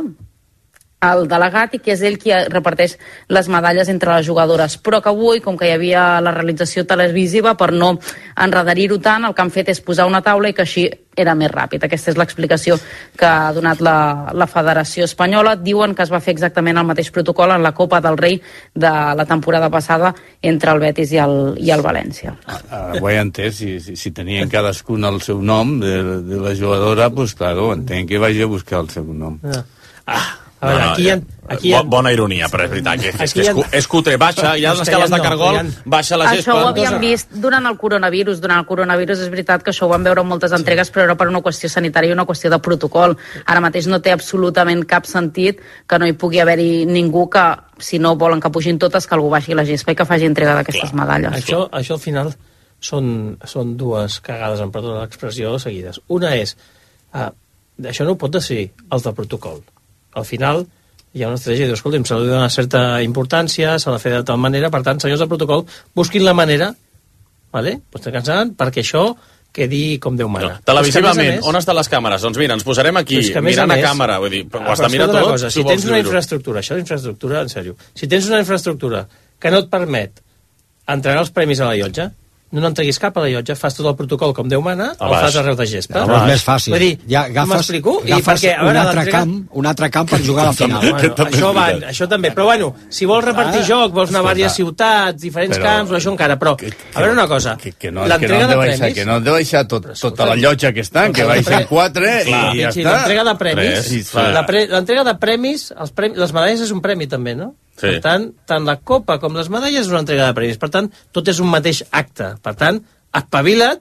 al delegat i que és ell qui reparteix les medalles entre les jugadores. Però que avui, com que hi havia la realització televisiva, per no enredar-ho tant, el que han fet és posar una taula i que així era més ràpid. Aquesta és l'explicació que ha donat la Federació Espanyola. Diuen que es va fer exactament el mateix protocol en la Copa del Rei de la temporada passada entre el Betis i el València. Ho he entès, si tenien cadascun el seu nom de la jugadora, doncs claro, entenc que vagi a buscar el seu nom. A veure, aquí bona ironia, però és veritat que és cutre. Baixa, hi ha les escales de cargol, baixa la gespa. Això ho havíem vist durant el coronavirus. Durant el coronavirus és veritat que això ho vam veure en moltes entregues, però era per una qüestió sanitària i una qüestió de protocol. Ara mateix no té absolutament cap sentit que no hi pugui haver-hi ningú que, si no volen que pugin totes, que algú baixi la gespa i que faci entrega d'aquestes medalles. Això al final són dues cagades, en perdó de l'expressió, seguides. Una és, això no ho pot decidir el de protocol. Al final hi ha una estratègia de dir, escolta'm, se li dona certa importància, s'ha de fer de tal manera, per tant, senyors de protocol, busquin la manera, vale? Perquè això quedi com Déu mana. Televisivament, on estan les càmeres? Doncs mira, ens posarem aquí, mirant a càmera, vull dir, ho has de mirar tot. Si tens una infraestructura, això d'infraestructura, en sèrio, si tens una infraestructura que no et permet entregar els premis a la llotja, no n'entreguis cap a la llotja, fas tot el protocol com Déu mana, el fas arreu de gespa. És més fàcil. Vull dir, agafes un altre camp per jugar a la final. Això també, però bueno, si vols repartir joc, vols anar a diverses ciutats, diferents camps, això encara, però a veure una cosa, l'entrega de premis... Que no han de baixar tota la llotja que estan, que baixen 4 i ja està. L'entrega de premis, l'entrega de premis, les medalles és un premi també, no? Sí. Per tant la copa com les medalles és una entrega de premis. Per tant, tot és un mateix acte. Per tant, espavila't,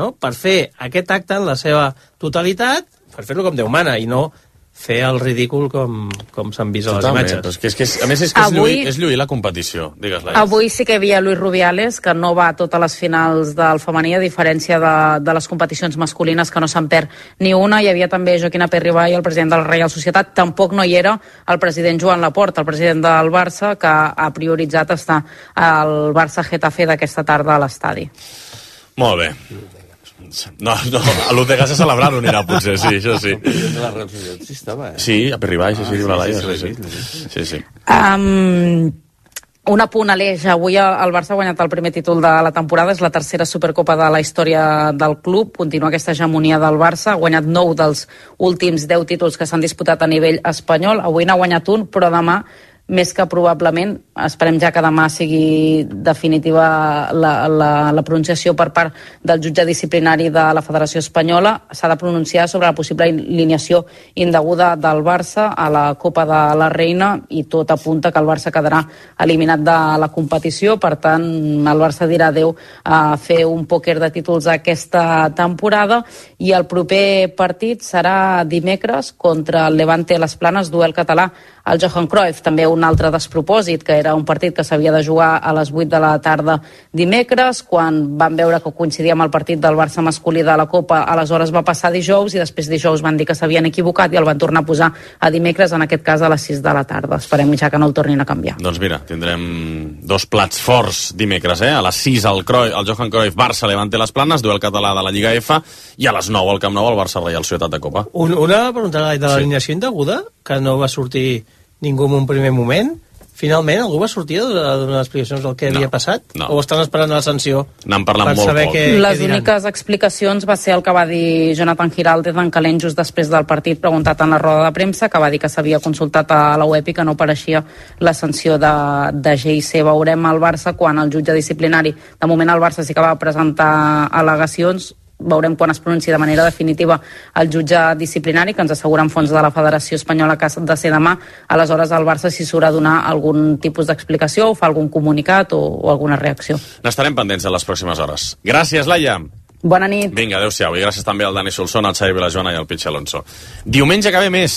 no?, per fer aquest acte en la seva totalitat, per fer-lo com Déu mana, i no fer el ridícul com s'han vist a les imatges. A més, és lluir la competició. Digues-la. Avui sí que hi havia Luis Rubiales, que no va a totes les finals del femení, a diferència de les competicions masculines, que no se'n perd ni una. Hi havia també Joaquín Aperribay, el president de la Reial Societat. Tampoc no hi era el president Joan Laporta, el president del Barça, que ha prioritzat estar al Barça-Getafe d'aquesta tarda a l'estadi. Molt bé. No, a l'Utega a celebrar-ho anirà, potser, sí, això sí. Sí, a Perribay, sí, diu la Laia, sí. Un apunt, Aleix. Avui el Barça ha guanyat el primer títol de la temporada, és la tercera Supercopa de la història del club, continua aquesta hegemonia del Barça, ha guanyat 9 dels últims 10 títols que s'han disputat a nivell espanyol, avui n'ha guanyat un, però demà més que probablement, esperem ja que demà sigui definitiva la pronunciació per part del jutge disciplinari de la Federació Espanyola, s'ha de pronunciar sobre la possible alineació indeguda del Barça a la Copa de la Reina, i tot apunta que el Barça quedarà eliminat de la competició. Per tant, el Barça dirà adeu a fer un pòquer de títols aquesta temporada, i el proper partit serà dimecres contra el Levante Les Planes, duel català el Johan Cruyff. També un altre despropòsit, que era un partit que s'havia de jugar a les 8 de la tarda dimecres, quan van veure que coincidia amb el partit del Barça masculí de la Copa, aleshores va passar dijous, i després dijous van dir que s'havien equivocat i el van tornar a posar a dimecres, en aquest cas a les 6 de la tarda. Esperem ja que no el tornin a canviar. Doncs mira, tindrem dos plats forts dimecres, a les 6 el Johan Cruyff Barça Levante Les Planes, duel català de la Lliga F, i a les 9 al Camp Nou el Barça Reial Societat de Copa. Una pregunta de l'alineació indeguda, que no va sortir ningú en un primer moment. Finalment, algú va sortir a donar explicacions del que havia passat? O estan esperant la sanció? N'han parlat molt poc. Les úniques explicacions va ser el que va dir Jonathan Giraldez en calent just després del partit, preguntat en la roda de premsa, que va dir que s'havia consultat a la web i que no apareixia la sanció de GIC. Veurem el Barça quan el jutge disciplinari, de moment el Barça sí que va presentar al·legacions, veurem quan es pronunciï de manera definitiva el jutge disciplinari, que ens asseguren fons de la Federació Espanyola que ha de ser demà. Aleshores el Barça si s'haurà de donar algun tipus d'explicació o fa algun comunicat o alguna reacció. N'estarem pendents en les pròximes hores. Gràcies, Laia. Bona nit. Vinga, adeu-siau. I gràcies també al Dani Solsona, al Xavi Vilajoana i al Pitx Alonso. Diumenge que ve més.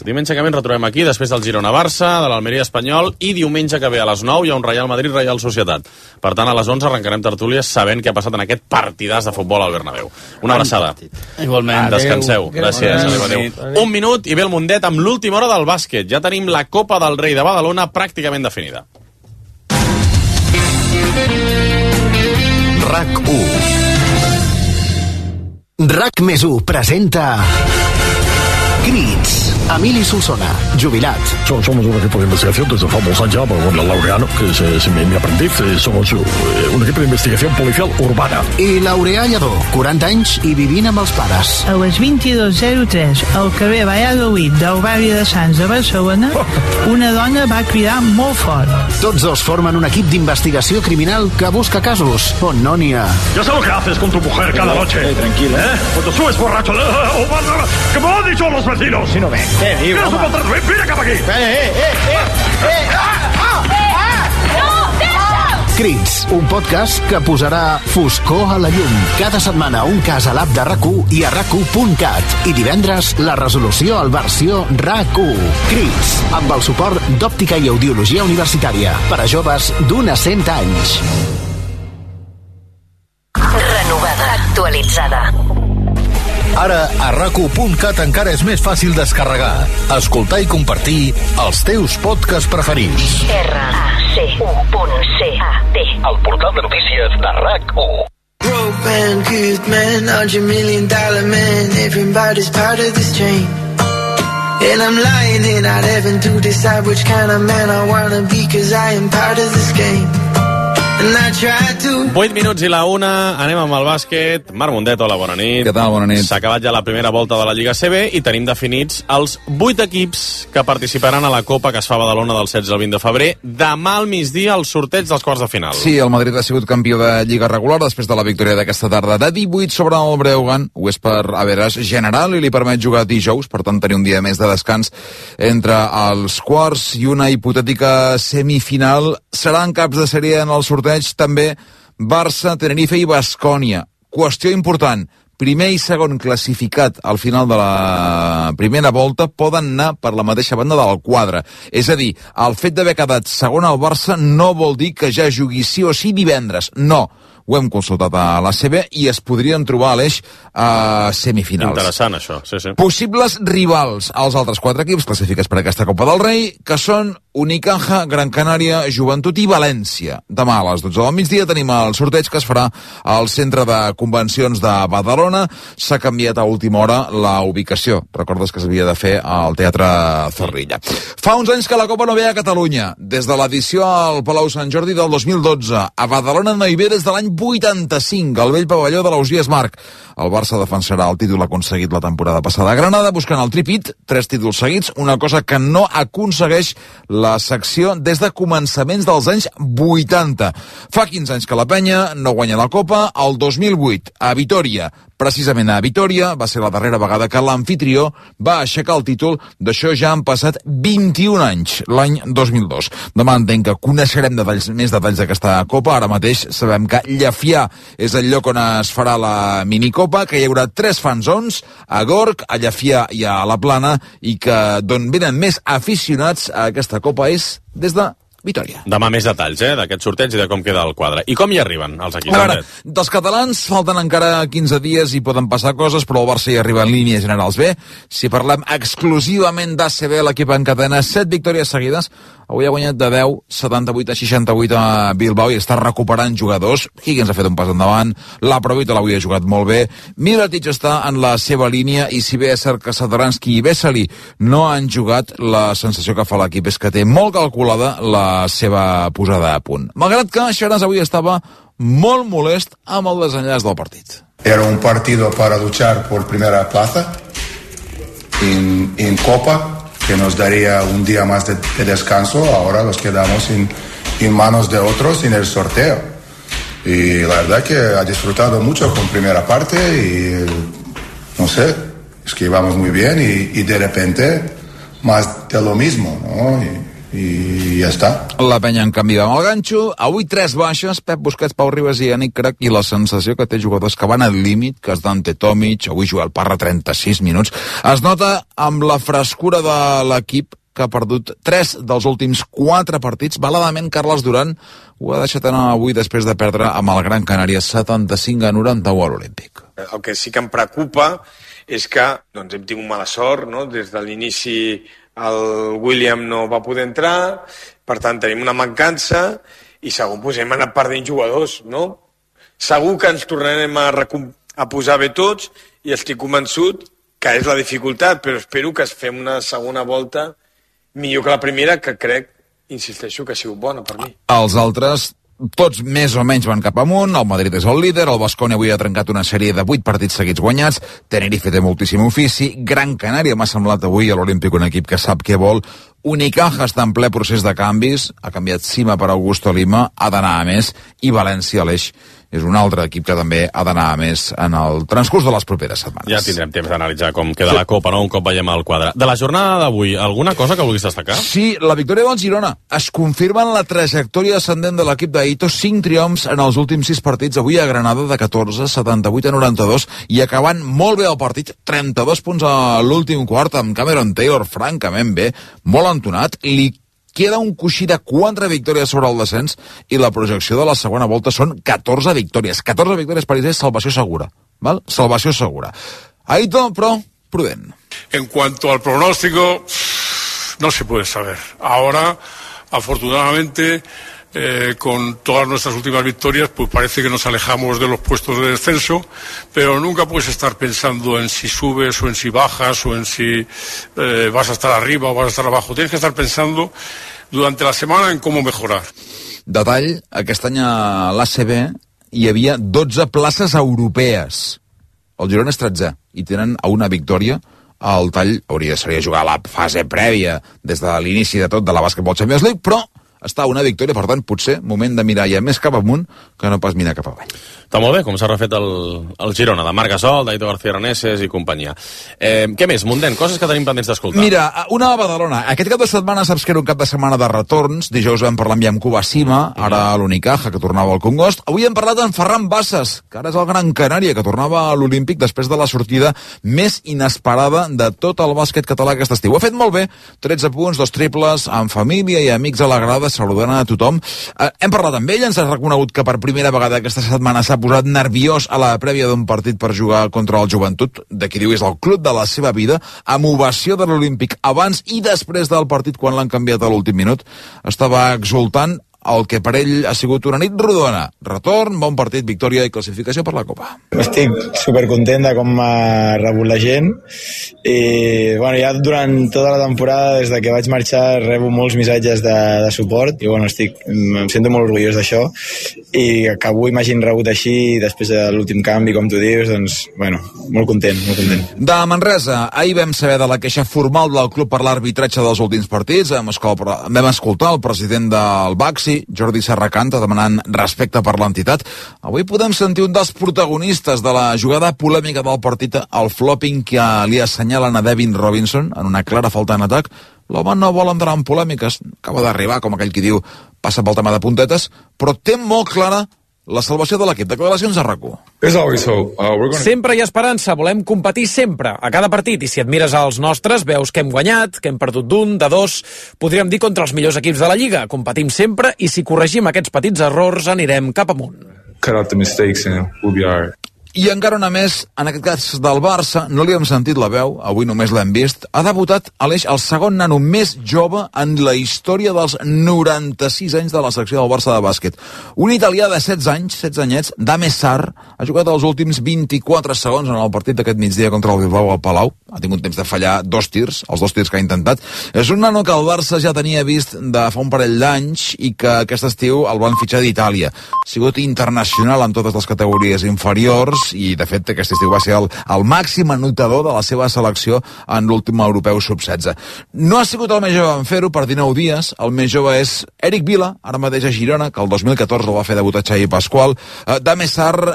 Diumenge que ve ens retrobem aquí, després del Girona-Barça, de l'Almeria Espanyol, i diumenge que ve a les 9 hi ha un Real Madrid-Real Societat. Per tant, a les 11 arrencarem tertúlies sabent què ha passat en aquest partidàs de futbol al Bernabéu. Una abraçada. Igualment. Descanseu. Gràcies. Adéu. Un minut i ve el Mundet amb l'última hora del bàsquet. Ja tenim la Copa del Rei de Badalona pràcticament definida. RAC1. RAC+1 presenta Crits. Emili Solsona, jubilat. Somos un equipo de investigación desde famosos años, con la Laureano, que es mi aprendiz. Somos un equipo de investigación policial urbana. I Laureà Lledó, 40 anys i vivint amb els pares. A les 22:03, al carrer Valladolid del barri de Sants de Barcelona, una dona va cridar molt fort. Tots dos formen un equip d'investigació criminal que busca casos on no n'hi ha. Ya sé lo que haces con tu mujer cada noche. Tranquila. Cuando subes borracho. ¿Qué me han dicho los vecinos? Si no ven. Mira cap aquí. Crits, un podcast que posarà foscor a la llum. Cada setmana un cas a l'app de RAC1 i a RAC1.cat. I divendres la resolució al versió RAC1. Crits, amb el suport d'Òptica i Audiologia Universitària per a joves d'un a 100 anys. Renovada, actualitzada. Ara, a RAC1.cat encara és més fàcil descarregar, escoltar i compartir els teus podcasts preferits. RAC1.cat. El portal de notícies de RAC1. Broke man, good man, $100 million man, everybody's part of this chain. And I'm lying in out heaven to decide which kind of man I wanna be, cause I am part of this game. 8 minuts i la 1, anem amb el bàsquet. Marc Mundet, hola, bona nit. Què tal, bona nit. S'ha acabat ja la primera volta de la Lliga CB i tenim definits els 8 equips que participaran a la Copa que es fa a Badalona del 16 al 20 de febrer. Demà al migdia el sorteig dels quarts de final. Sí, el Madrid ha sigut campió de Lliga regular després de la victòria d'aquesta tarda de 18 sobre el Breogán. Ho és per average general i li permet jugar dijous, per tant tenir un dia més de descans entre els quarts i una hipotètica semifinal. Seran caps de sèrie en el sorteig també Barça, Tenerife i Baskònia. Qüestió important, primer i segon classificat al final de la primera volta poden anar per la mateixa banda del quadre. És a dir, el fet d'haver quedat segon al Barça no vol dir que ja jugui sí o sí divendres. No. Ho hem consultat a la CB i es podrien trobar a l'eix a semifinals. Interessant, això, sí, sí. Possibles rivals als altres 4 equips classificats per aquesta Copa del Rei, que són Unicaja, Gran Canària, Joventut i València. Demà a les 12 del migdia tenim el sorteig que es farà al Centre de Convencions de Badalona. S'ha canviat a última hora la ubicació. Recordes que s'havia de fer al Teatre Zorrilla. Fa uns anys que la Copa no ve a Catalunya. Des de l'edició al Palau Sant Jordi del 2012. A Badalona no hi ve des de l'any 85, al vell pavelló de l'Ausiàs Marc. El Barça defensarà el títol aconseguit la temporada passada a Granada, buscant el tripit, 3 títols seguits, una cosa que no aconsegueix la secció des de començaments dels anys 80. Fa 15 anys que la penya no guanya la Copa, el 2008, a Vitòria, precisament a Vitòria. Va ser la darrera vegada que l'anfitrió va aixecar el títol. D'això ja han passat 21 anys, l'any 2002. Demà entenc que coneixerem més detalls d'aquesta Copa. Ara mateix sabem que Llefià és el lloc on es farà la minicopa, que hi haurà 3 fan zones, a Gorg, a Llefià i a la Plana, i que d'on venen més aficionats a aquesta Copa és des de Vitòria. Demà més detalls, d'aquest sorteig i de com queda el quadre. I com hi arriben els equips? A veure, dels catalans falten encara 15 dies i poden passar coses, però el Barça hi arriba en línies generals bé. Si parlem exclusivament d'ACB, l'equip encadena 7 victòries seguides. Avui ha guanyat de 10, 78 a 68 a Bilbao i està recuperant jugadors. Higgins ha fet un pas endavant, Laprovitola avui ha jugat molt bé, Mirotic està en la seva línia, i si bé és cert que Satoranski i Vesely no han jugat, la sensació que fa l'equip és que té molt calculada la seva posada a punt. Malgrat que Xaras avui estava molt molest amb el desenllaç del partit. Era un partido para luchar por primera plaza en Copa, que nos daría un día más de descanso. Ahora los quedamos en manos de otros en el sorteo. Y la verdad que ha disfrutado mucho con primera parte y no sé, es que íbamos muy bien y de repente más de lo mismo, ¿no? I ja està. La penya en canvi va amb el ganxo. Avui 3 baixes, Pep Busquets, Pau Ribas i Yannick Crac, i la sensació que té jugadors que van al límit, que és Dante Tomic, avui juga el Parra 36 minuts. Es nota amb la frescura de l'equip, que ha perdut 3 dels últims 4 partits. Baladament, Carles Duran ho ha deixat anar avui després de perdre amb el Gran Canària 75 a 91 a l'Olímpic. El que sí que em preocupa és que doncs, hem tingut mala sort, no? Des de l'inici el William no va poder entrar, per tant tenim una mancança i segur doncs, hem anat perdent jugadors, no? Segur que ens tornarem a posar bé tots i estic convençut que és la dificultat, però espero que es fem una segona volta millor que la primera, que crec, insisteixo, que ha sigut bona per mi. Els altres tots més o menys van cap amunt. El Madrid és el líder, el Baskonia avui ha trencat una sèrie de 8 partits seguits guanyats, Tenerife té moltíssim ofici, Gran Canària m'ha semblat avui a l'Olímpic un equip que sap què vol, Unicaja està en ple procés de canvis, ha canviat Sima per Augusto Lima, ha d'anar a més, i València, l'Eix, és un altre equip que també ha d'anar a més en el transcurs de les properes setmanes. Ja tindrem temps d'analitzar com queda la Copa, no? Un cop veiem el quadre. De la jornada d'avui, alguna cosa que vulguis destacar? Sí, la victòria del Girona. Es confirma en la trajectòria ascendent de l'equip d'Aito, 5 triomfs en els últims 6 partits, avui a Granada de 14, 78 a 92, i acabant molt bé el partit, 32 punts a l'últim quart, amb Cameron Taylor francament bé, molt entonat, li queda un coixí de 4 victòries sobre el descens i la projecció de la segona volta són 14 victòries. 14 victòries per ells és salvació segura. ¿Val? Salvació segura. Aito, però, prudent. En cuanto al pronóstico, no se puede saber. Ahora, afortunadamente, con todas nuestras últimas victorias, pues parece que nos alejamos de los puestos de descenso, pero nunca puedes estar pensando en si subes o en si bajas o en si vas a estar arriba o vas a estar abajo. Tienes que estar pensando durante la semana en cómo mejorar. Detall, aquest any a l'ACB hi havia 12 places europees. El Girona és 13 i tenen a una victòria. El tall seria jugar a la fase prèvia des de l'inici de tot de la Basketball Champions League, però està una victòria, per tant, potser moment de mirar ja més cap amunt que no pas mirar cap avall. Està molt bé com s'ha refet el Girona, de Marc Gasol, d'Aito García Reneses i companyia. Què més, Mundent? Coses que tenim pendents d'escoltar. Mira, una a Badalona. Aquest cap de setmana saps que era un cap de setmana de retorns. Dijous vam parlar amb Iamcuba Sima, ara a l'Unicaja, que tornava al Congost. Avui hem parlat amb Ferran Bassas, que ara és el Gran Canària, que tornava a l'Olímpic després de la sortida més inesperada de tot el bàsquet català aquest estiu. Ho ha fet molt bé, 13 punts, 2 triples, amb família i amics a la grada, saludant a tothom. Hem parlat amb ell, ens ha reconegut que per primera vegada aquesta setmana s'ha posat nerviós a la prèvia d'un partit per jugar contra el Joventut, de qui diu és el club de la seva vida, amb ovació de l'Olímpic abans i després del partit quan l'han canviat a l'últim minut. Estava exultant el que per ell ha sigut una nit rodona. Retorn, bon partit, victòria i classificació per la Copa. Estic supercontent de com m'ha rebut la gent i bueno, ja durant tota la temporada, des de que vaig marxar, rebo molts missatges de suport i bueno, em sento molt orgullós d'això i que avui m'hagin rebut així després de l'últim canvi, com tu dius, doncs, bueno, molt content, molt content. De Manresa, ahir vam saber de la queixa formal del club per l'arbitratge dels últims partits. Vam escoltar el president del Baxi, Jordi Serracanta, demanant respecte per l'entitat. Avui podem sentir un dels protagonistes de la jugada polèmica del partit, el flopping que li assenyalen a Devin Robinson en una clara falta en atac. L'home no vol entrar en polèmiques, acaba d'arribar, com aquell qui diu, passa pel tema de puntetes, però té molt clara la salvació de l'equip. Declaracions a RAC1. Sempre hi ha esperança, volem competir sempre, a cada partit, i si et mires als nostres, veus que hem guanyat, que hem perdut d'un, de dos, podríem dir contra els millors equips de la Lliga. Competim sempre, i si corregim aquests petits errors, anirem cap amunt. I encara una més, en aquest cas del Barça, no li hem sentit la veu, avui només l'hem vist, ha debutat Aleix, el segon nano més jove en la història dels 96 anys de la secció del Barça de bàsquet. Un italià de 16 anys, 16 anyets, Dame Sarr, ha jugat els últims 24 segons en el partit d'aquest migdia contra el Bilbao al Palau. Ha tingut temps de fallar 2 tirs, els 2 tirs que ha intentat. És un nano que el Barça ja tenia vist de fa un parell d'anys i que aquest estiu el van fitxar d'Itàlia. Ha sigut internacional en totes les categories inferiors i de fet aquest estiu va ser el màxim anotador de la seva selecció en l'últim europeu sub-16. No ha sigut el més jove en fer-ho per 19 dies, el més jove és Eric Vila, ara mateix a Girona, que el 2014 el va fer debutar Xavi Pasqual. Dame Sarr,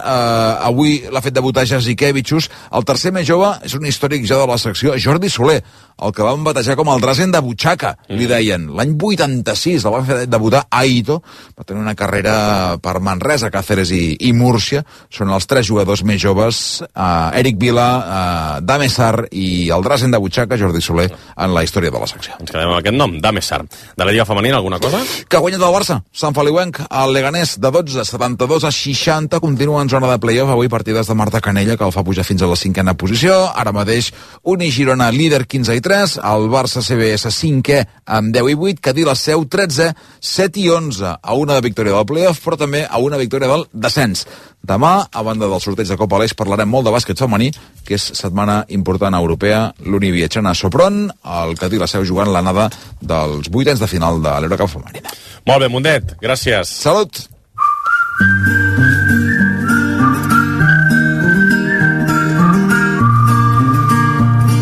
avui l'ha fet debutar Jasikevičius. El tercer més jove és un històric ja de la secció, Jordi Soler, el que van batejar com el Drazen de Butxaca, li deien. L'any 86 el van fer debutar a Aito, va tenir una carrera per Manresa, Càceres i Múrcia. Són els 3 jugadors més joves, Eric Vila, Dame Sarr i el Drazen de Butxaca, Jordi Soler, en la història de la secció. Ens quedem amb aquest nom, Dame Sarr. De la Lliga Femenina, alguna cosa? Que ha guanyat el Barça, Sant Feliuenc, el Leganés de 12, 72 a 60, continua en zona de play-off, avui partides de Marta Canella, que el fa pujar fins a la 5a posició, ara mateix Uni Girona líder 15 i 3, el Barça CBS 5è amb 10 i 8, Cadí la Seu 13, 7 i 11, a una de victòria del play-off, però també a una victòria del descens. Demà, a banda del sorteig de Copa Aleix, parlarem molt de bàsquet femení, que és setmana important europea, l'Uni viatjant a Sopron, el Cadí la Seu jugant l'anada dels 8ens de final de l'Eurocup femenina. Molt bé, Mundet, gràcies. Salut!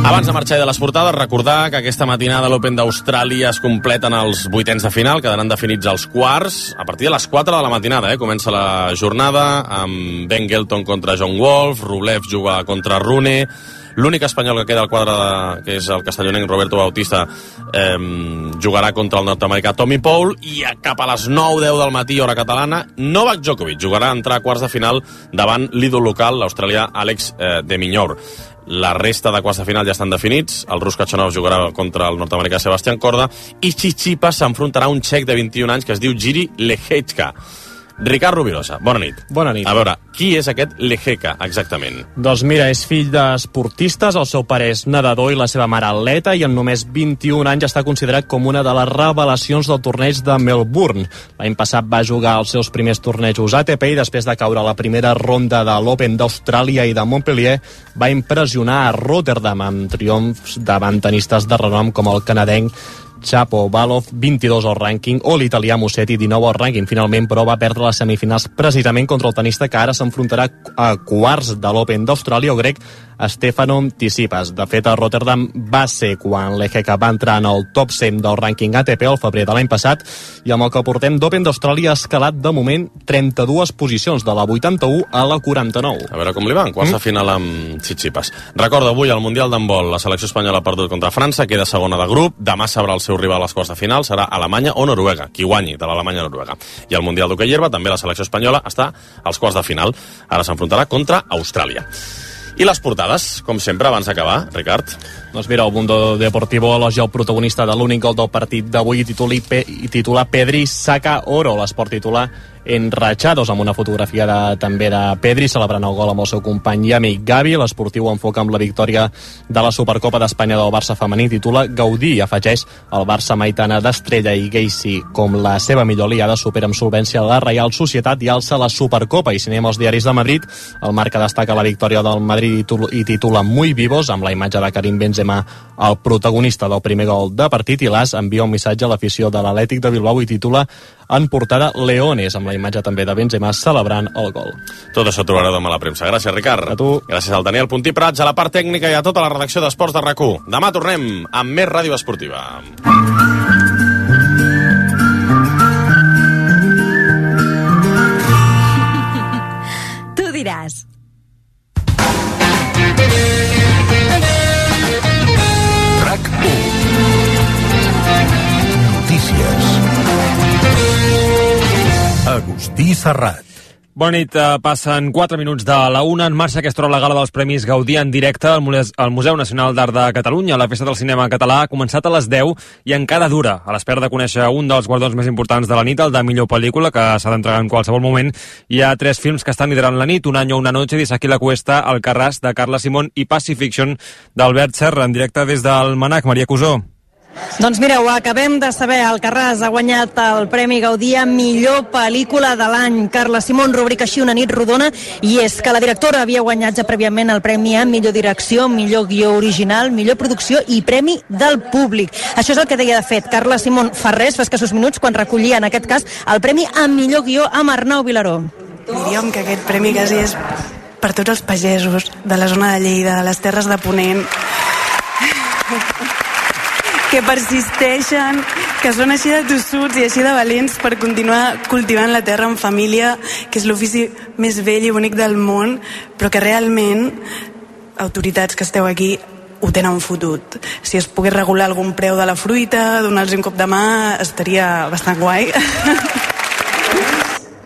Abans de marxar de les portades, recordar que aquesta matinada l'Open d'Austràlia es completen els 8ens de final, quedaran definits els quarts a partir de les 4 de la matinada. Comença la jornada amb Ben Gelton contra John Wolf, Rublev juga contra Rune, l'únic espanyol que queda al quadre, que és el castellonenc Roberto Bautista, jugarà contra el nord-americà Tommy Paul, i cap a les 9:10 del matí, hora catalana, Novak Djokovic jugarà a entrar a quarts de final davant l'ídol local, l'australià Alex de Minaur. La resta de quarts de final ja estan definits. El rus Khachanov jugarà contra el nord-americà Sebastián Corda i Tsitsipas s'enfrontarà a un txec de 21 anys que es diu Jiri Lehecka. Ricard Rovirosa, bona nit. Bona nit. A veure, qui és aquest Lehecka, exactament? Doncs mira, és fill d'esportistes, el seu pare és nedador i la seva mare atleta, i en només 21 anys està considerat com una de les revelacions del torneig de Melbourne. L'any passat va jugar els seus primers tornejos ATP i després de caure a la primera ronda de l'Open d'Austràlia i de Montpellier va impressionar a Rotterdam amb triomfs davant tenistes de renom com el canadenc Chapo Valov, 22 al rànquing, o l'italià Musetti, 19 al rànquing. Finalment, però, va perdre les semifinals precisament contra el tenista que ara s'enfrontarà a quarts de l'Open d'Austràlia, o grec Stefano Tsitsipas. De fet, a Rotterdam va ser quan Lehecka va entrar en el top 100 del rànquing ATP al febrer de l'any passat, i amb el que portem d'Open d'Austràlia ha escalat de moment 32 posicions, de la 81 a la 49. A veure com li va, en quarts de final amb Tsitsipas. Recorda, avui al Mundial d'Handbol la selecció espanyola ha perdut contra França, queda segona de grup, demà sabrà el seu rival als quarts de final, serà Alemanya o Noruega, qui guanyi de l'Alemanya o Noruega. I al Mundial d'Hoquei Herba també la selecció espanyola està als quarts de final, ara s'enfrontarà contra Austràlia. I les portades, com sempre, abans d'acabar, Ricard? Doncs mira, el Mundo Deportivo elogia el protagonista de l'únic gol del partit d'avui i titular Pedri saca oro. L'esport titular enratxados, amb una fotografia també de Pedri celebrant el gol amb el seu company i amic Gavi. L'esportiu enfoca amb la victòria de la Supercopa d'Espanya del Barça femení, titula Gaudí, i afegeix el Barça Maitana d'Estrella i Geissi com la seva millor aliada, supera amb solvència la Reial Societat i alça la Supercopa. I si anem als diaris de Madrid, el Marca destaca la victòria del Madrid i titula Muy vivos, amb la imatge de Karim Benzema, el protagonista del primer gol de partit, i l'AS envia un missatge a l'afició de l'Atlètic de Bilbao i titula en portada Leones, amb la imatge també de Benzema celebrant el gol. Tot això trobareu demà a la premsa. Gràcies, Ricard. A tu. Gràcies al Daniel Puntí Prats, a la part tècnica i a tota la redacció d'Esports de RAC1. Demà tornem amb més ràdio esportiva. Tu diràs. RAC1. Notícies. Agustí Serrat. Bona nit, passen 4 minuts de la 1, en marxa aquesta hora la gala dels Premis Gaudí en directe al Museu Nacional d'Art de Catalunya. La festa del cinema català ha començat a les 10 i encara dura, a l'espera de conèixer un dels guardons més importants de la nit, el de millor pel·lícula, que s'ha d'entregar en qualsevol moment. Hi ha 3 films que estan liderant la nit: Un año, una noche, d'Isaki La Cuesta, Alcarràs, de Carla Simón, i Pacifiction, d'Albert Serra, en directe des del Manac. Maria Cusó. Doncs mireu, acabem de saber, Alcarràs ha guanyat el Premi Gaudí a millor pel·lícula de l'any. Carla Simón rubrica així Una nit rodona, i és que la directora havia guanyat ja prèviament el premi a millor direcció, millor guió original, millor producció i premi del públic. Això és el que deia de fet Carla Simón fa escassos minuts, quan recollia en aquest cas el premi a millor guió amb Arnau Vilaró. Diríem que aquest premi quasi és per tots els pagesos de la zona de Lleida, de les Terres de Ponent, que persisteixen, que són així de tossuts i així de valents per continuar cultivant la terra en família, que és l'ofici més vell i bonic del món, però que realment, autoritats que esteu aquí, ho tenen fotut. Si es pogués regular algun preu de la fruita, donar-los un cop de mà, estaria bastant guai.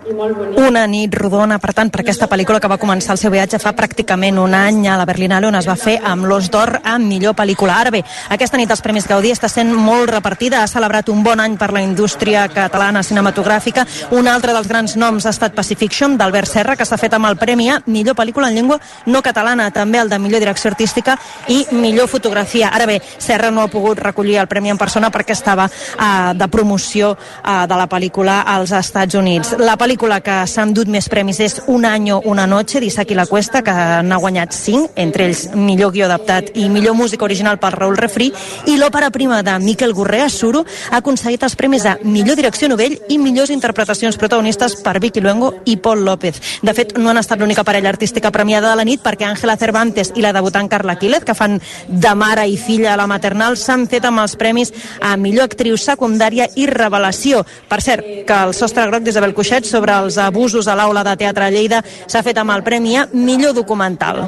Una nit rodona, per tant, per aquesta pel·lícula que va començar el seu viatge fa pràcticament un any a la Berlinale, on es va fer amb l'Os d'Or a millor pel·lícula. Ara bé, aquesta nit els Premis Gaudí està sent molt repartida, ha celebrat un bon any per la indústria catalana cinematogràfica. Un altre dels grans noms ha estat Pacifiction, d'Albert Serra, que s'ha fet amb el premi a millor pel·lícula en llengua no catalana, també el de millor direcció artística i millor fotografia. Ara bé, Serra no ha pogut recollir el premi en persona perquè estava de promoció de la pel·lícula als Estats Units. La pel·lícula que s'ha endut més premis és Un año, una noche, d'Isaki La Cuesta, que n'ha guanyat 5, entre ells millor guió adaptat i millor música original per Raül Refri, i l'òpera prima de Miquel Gorrea, Suro, ha aconseguit els premis a millor direcció novell i millors interpretacions protagonistes per Vicky Luengo i Pol López. De fet, no han estat l'única parella artística premiada de la nit, perquè Ángela Cervantes i la debutant Carla Quílez, que fan de mare i filla a la maternal, s'han fet amb els premis a millor actriu secundària i revelació. Per cert, que el Sostre Groc d'Isabel Cuixet sobre els abusos a l'aula de teatre a Lleida s'ha fet amb el premi a millor documental.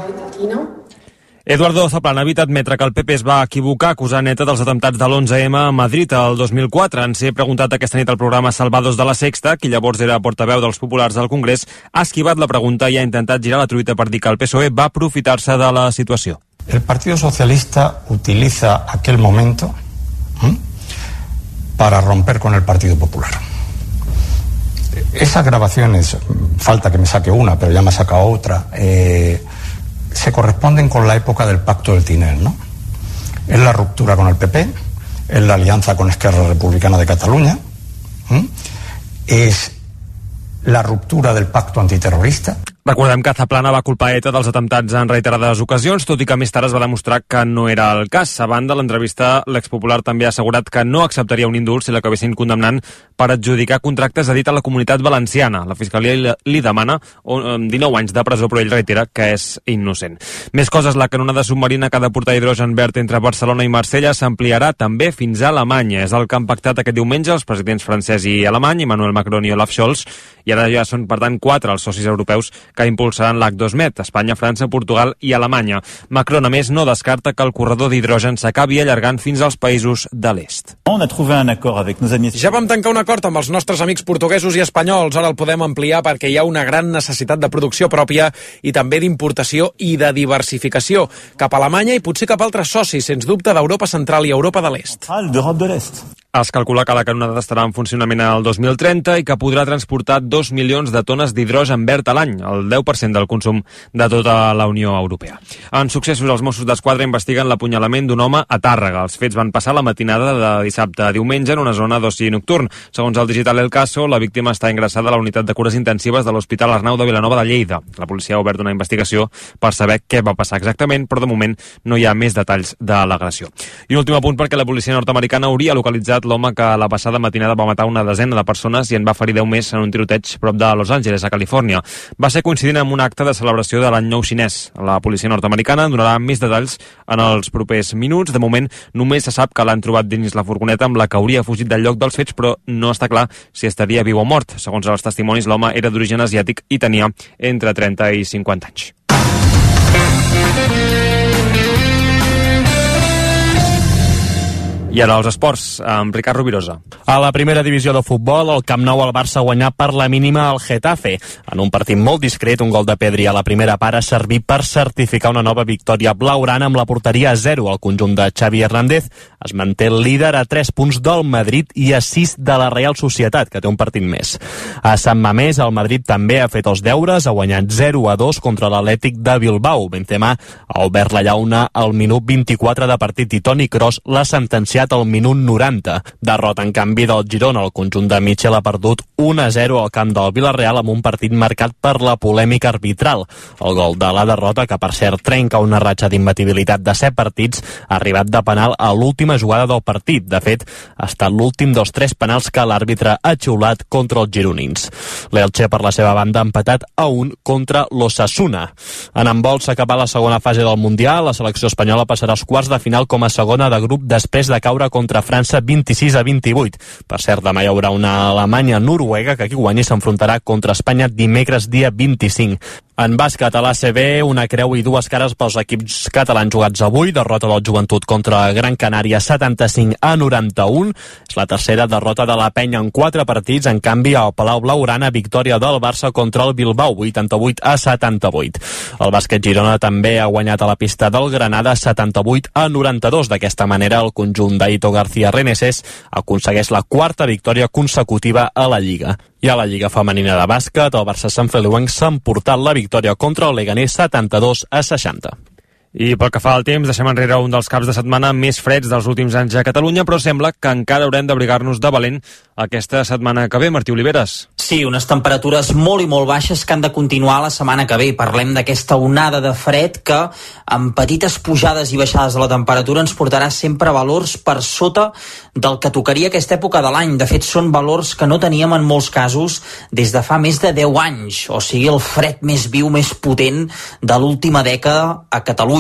Eduardo Zaplana ha evitat admetre que el PP es va equivocar acusant ETA dels atemptats de l'11M a Madrid el 2004. Ens he preguntat aquesta nit al programa Salvados de la Sexta, qui llavors era portaveu dels populars del Congrés, ha esquivat la pregunta i ha intentat girar la truita per dir que el PSOE va aprofitar-se de la situació. El Partido Socialista utiliza aquel momento para romper con el Partido Popular. Esas grabaciones, falta que me saque una, pero ya me ha sacado otra, se corresponden con la época del Pacto del Tinel, ¿no? Es la ruptura con el PP, es la alianza con Esquerra Republicana de Cataluña, es la ruptura del pacto antiterrorista. Recordem que Zaplana va culpar ETA dels atemptats en reiterades ocasions, tot i que més tard es va demostrar que no era el cas. A banda, l'entrevista, l'expopular també ha assegurat que no acceptaria un indult si l'acabessin condemnant per adjudicar contractes a dit a la Comunitat Valenciana. La Fiscalia li demana 19 anys de presó, però ell reitera que és innocent. Més coses, la canonada submarina que ha de portar hidrogen verd entre Barcelona i Marsella s'ampliarà també fins a Alemanya. És el que han pactat aquest diumenge els presidents francès i alemany, Emmanuel Macron i Olaf Scholz, i ara ja són, per tant, 4 els socis europeus que impulsaran l'H2Med, Espanya, França, Portugal i Alemanya. Macron, a més, no descarta que el corredor d'hidrogen s'acabi allargant fins als països de l'est. Ja vam tancar un acord amb els nostres amics portuguesos i espanyols, ara el podem ampliar perquè hi ha una gran necessitat de producció pròpia i també d'importació i de diversificació cap a Alemanya i potser cap a altres socis, sens dubte, d'Europa Central i Europa de l'Est. Es calcula que la canonada estarà en funcionament al 2030 i que podrà transportar 2 milions de tones d'hidrogen verd a l'any, el 10% del consum de tota la Unió Europea. En successos, els Mossos d'Esquadra investiguen l'apunyalament d'un home a Tàrrega. Els fets van passar la matinada de dissabte a diumenge en una zona d'oci nocturn. Segons el digital El Caso, la víctima està ingressada a la unitat de cures intensives de l'Hospital Arnau de Vilanova de Lleida. La policia ha obert una investigació per saber què va passar exactament, però de moment no hi ha més detalls de l'agressió. I un últim apunt perquè la policia nord-americana hauria localitzat arrestat l'home que la passada matinada va matar una desena de persones i en va ferir 10 més en un tiroteig prop de Los Angeles, a Califòrnia. Va ser coincidint amb un acte de celebració de l'any nou xinès. La policia nord-americana donarà més detalls en els propers minuts. De moment, només se sap que l'han trobat dins la furgoneta amb la que hauria fugit del lloc dels fets, però no està clar si estaria viu o mort. Segons els testimonis, l'home era d'origen asiàtic i tenia entre 30 i 50 anys. I ara els esports, amb Ricard Rovirosa. A la primera divisió de futbol, al Camp Nou el Barça guanyà per la mínima al Getafe. En un partit molt discret, un gol de Pedri a la primera part ha servit per certificar una nova victòria blaugrana amb la porteria a 0. El conjunt de Xavi Hernández es manté líder a 3 punts del Madrid i a 6 de la Real Societat, que té un partit més. A Sant Mamés, el Madrid també ha fet els deures, ha guanyat 0-2 contra l'Atlètic de Bilbao. Benzema ha obert la llauna al minut 24 de partit i Toni Kroos l'ha sentenciat al minut 90. Derrota, en canvi, del Girona. El conjunt de Michel ha perdut 1-0 al camp del Villarreal amb un partit marcat per la polèmica arbitral. El gol de la derrota, que per cert trenca una ratxa d'imbatibilitat de 7 partits, ha arribat de penal a l'última jugada del partit. De fet, ha estat l'últim dels 3 penals que l'àrbitre ha xiulat contra els gironins. L'Elche, per la seva banda, ha empatat a 1 contra l'Osasuna. En handbol s'ha acabat la segona fase del Mundial. La selecció espanyola passarà als quarts de final com a segona de grup després de caure contra França 26-28. Per cert, demà hi haurà una Alemanya-Noruega que qui guanyi s'enfrontarà contra Espanya dimecres dia 25. En bàsquet a l'ACB, una creu i 2 cares pels equips catalans jugats avui. Derrota del Joventut contra Gran Canària 75-91. És la tercera derrota de la Penya en 4 partits. En canvi, al Palau Blaugrana, victòria del Barça contra el Bilbao, 88-78. El bàsquet Girona també ha guanyat a la pista del Granada 78-92. D'aquesta manera, el conjunt d'Aito García Reneses aconsegueix la 4ª victòria consecutiva a la Lliga. I a la Lliga Femenina de Bàsquet, el Barça Sant Feliuenc s'ha emportat la victòria contra el Leganés 72-60. I pel que fa al temps, deixem enrere un dels caps de setmana més freds dels últims anys a Catalunya, però sembla que encara haurem d'abrigar-nos de valent aquesta setmana que ve. Martí Oliveres. Sí, unes temperatures molt i molt baixes que han de continuar la setmana que ve. Parlem d'aquesta onada de fred que, amb petites pujades i baixades de la temperatura, ens portarà sempre valors per sota del que tocaria aquesta època de l'any. De fet, són valors que no teníem en molts casos des de fa més de 10 anys. O sigui, el fred més viu, més potent de l'última dècada a Catalunya.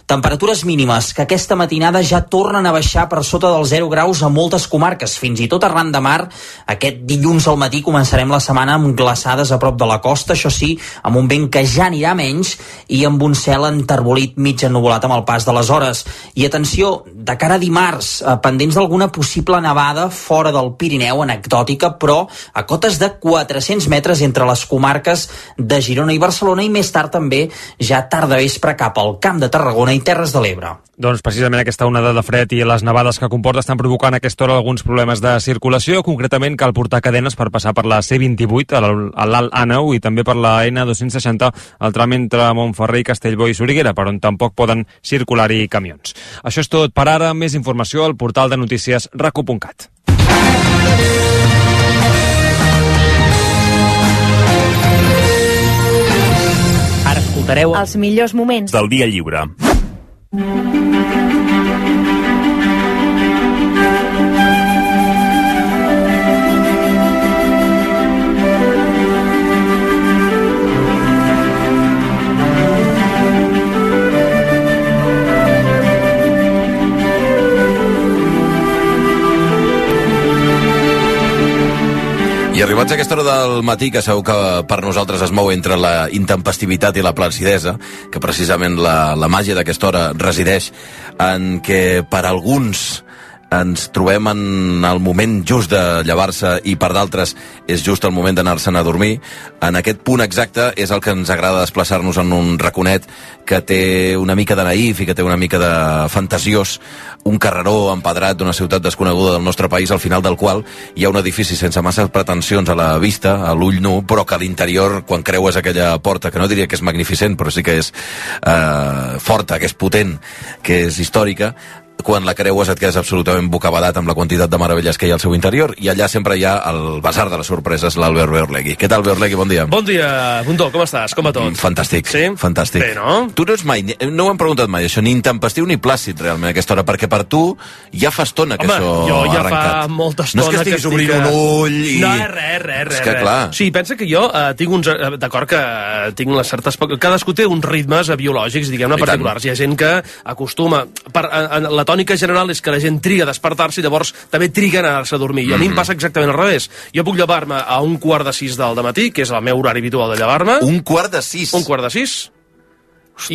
Temperatures mínimes que aquesta matinada ja tornen a baixar per sota dels 0 graus a moltes comarques, fins i tot arran de mar. Aquest dilluns al matí començarem la setmana amb glaçades a prop de la costa, això sí, amb un vent que ja anirà menys i amb un cel enterbolit mig ennuvolat amb el pas de les hores. I atenció, de cara a dimarts, pendents d'alguna possible nevada fora del Pirineu, anecdòtica, però a cotes de 400 metres entre les comarques de Girona i Barcelona, i més tard també ja tarda vespre cap al Camp de Tarragona i Terres de l'Ebre. Doncs precisament aquesta onada de fred i les nevades que comporta estan provocant a aquesta hora alguns problemes de circulació. Concretament cal portar cadenes per passar per la C28 a l'Alt Àneu i també per la N260 al tram entre Montferrer i Castellbó i Soriguera, per on tampoc poden circular-hi camions. Això és tot per ara. Més informació al portal de notícies racu.cat. Ara escoltareu els millors moments del dia lliure. I arribats a aquesta hora del matí, que segur que per nosaltres es mou entre la intempestivitat i la placidesa, que precisament la màgia d'aquesta hora resideix en que per alguns ens trobem en el moment just de llevar-se i per d'altres és just el moment d'anar-se'n a dormir. En aquest punt exacte és el que ens agrada desplaçar-nos en un raconet que té una mica de naïf i que té una mica de fantasiós, un carreró empedrat d'una ciutat desconeguda del nostre país, al final del qual hi ha un edifici sense massa pretensions a la vista, a l'ull nu, però que a l'interior, quan creues aquella porta, que no diria que és magnificent, però sí que és forta, que és potent, que és històrica, quan la creues et quedes absolutament bocabadat amb la quantitat de meravelles que hi ha al seu interior, i allà sempre hi ha el basar de les sorpreses, l'Albert Beorlegui. Què tal, Beorlegui? Bon dia. Bon dia, Bundó, com estàs? Com va tot? Fantàstic, sí? Fantàstic. Bé, no? Tu no ets mai, no ho hem preguntat mai, això, ni intempestiu ni plàcid, realment, a aquesta hora, perquè per tu ja fa estona que això jo ja ha arrencat. Fa molta estona no és que estiguis obrint un ull i... No, res. És que, clar... Sí, pensa que jo tinc uns... D'acord que tinc les certes... Cadascú té uns ritmes biològics, diguem-ne, particulars. Hi ha gent que acostuma... La tònica general és que la gent triga a despertar-se i llavors també triga a anar-se a dormir. I a mi em passa exactament al revés. Jo puc llevar-me a 5:45 del matí, que és el meu horari habitual de llevar-me. 5:45? 5:45.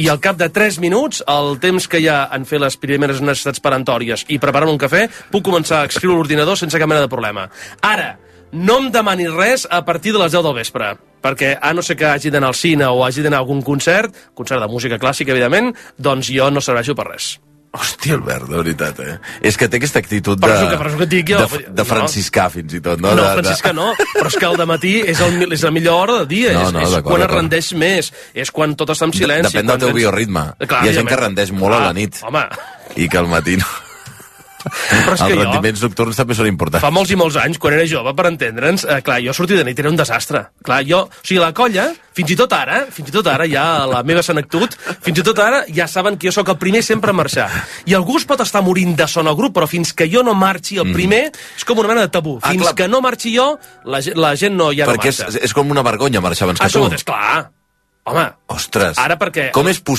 I al cap de 3 minuts, el temps que hi ha en fer les primeres necessitats peremptòries i preparar un cafè, puc començar a escriure l'ordinador sense cap mena de problema. Ara, no em demanis res a partir de les 10 del vespre, perquè a no ser que hagi d'anar al cine o hagi d'anar a algun concert de música clàssica, evidentment, doncs jo no serveixo per res. Hòstia, Albert, de veritat, És que té aquesta actitud per això que et dic jo, de franciscà, fins i tot, no? No, franciscà no, però és que al dematí és la millor hora del dia, és quan es rendeix més, és quan tot està en silenci. Depèn del teu bioritme. Hi ha gent que rendeix molt a la nit. Home. I que al matí no. Però és que els rendiments nocturns també són importants. Fa molts i molts anys, quan era jove, per entendre'ns, clar, jo sortir de nit era un desastre. Clar, o sigui, la colla, fins i tot ara, ja la meva senectut, fins i tot ara ja saben que jo sóc el primer sempre a marxar. I algú es pot estar morint de son al grup, però fins que jo no marxi el primer, és com una mena de tabú. Fins que no marxi jo, la gent no ja no marxa. Perquè és com una vergonya marxar abans que tu. Això és clar. Home, ostres, ara perquè... com és possible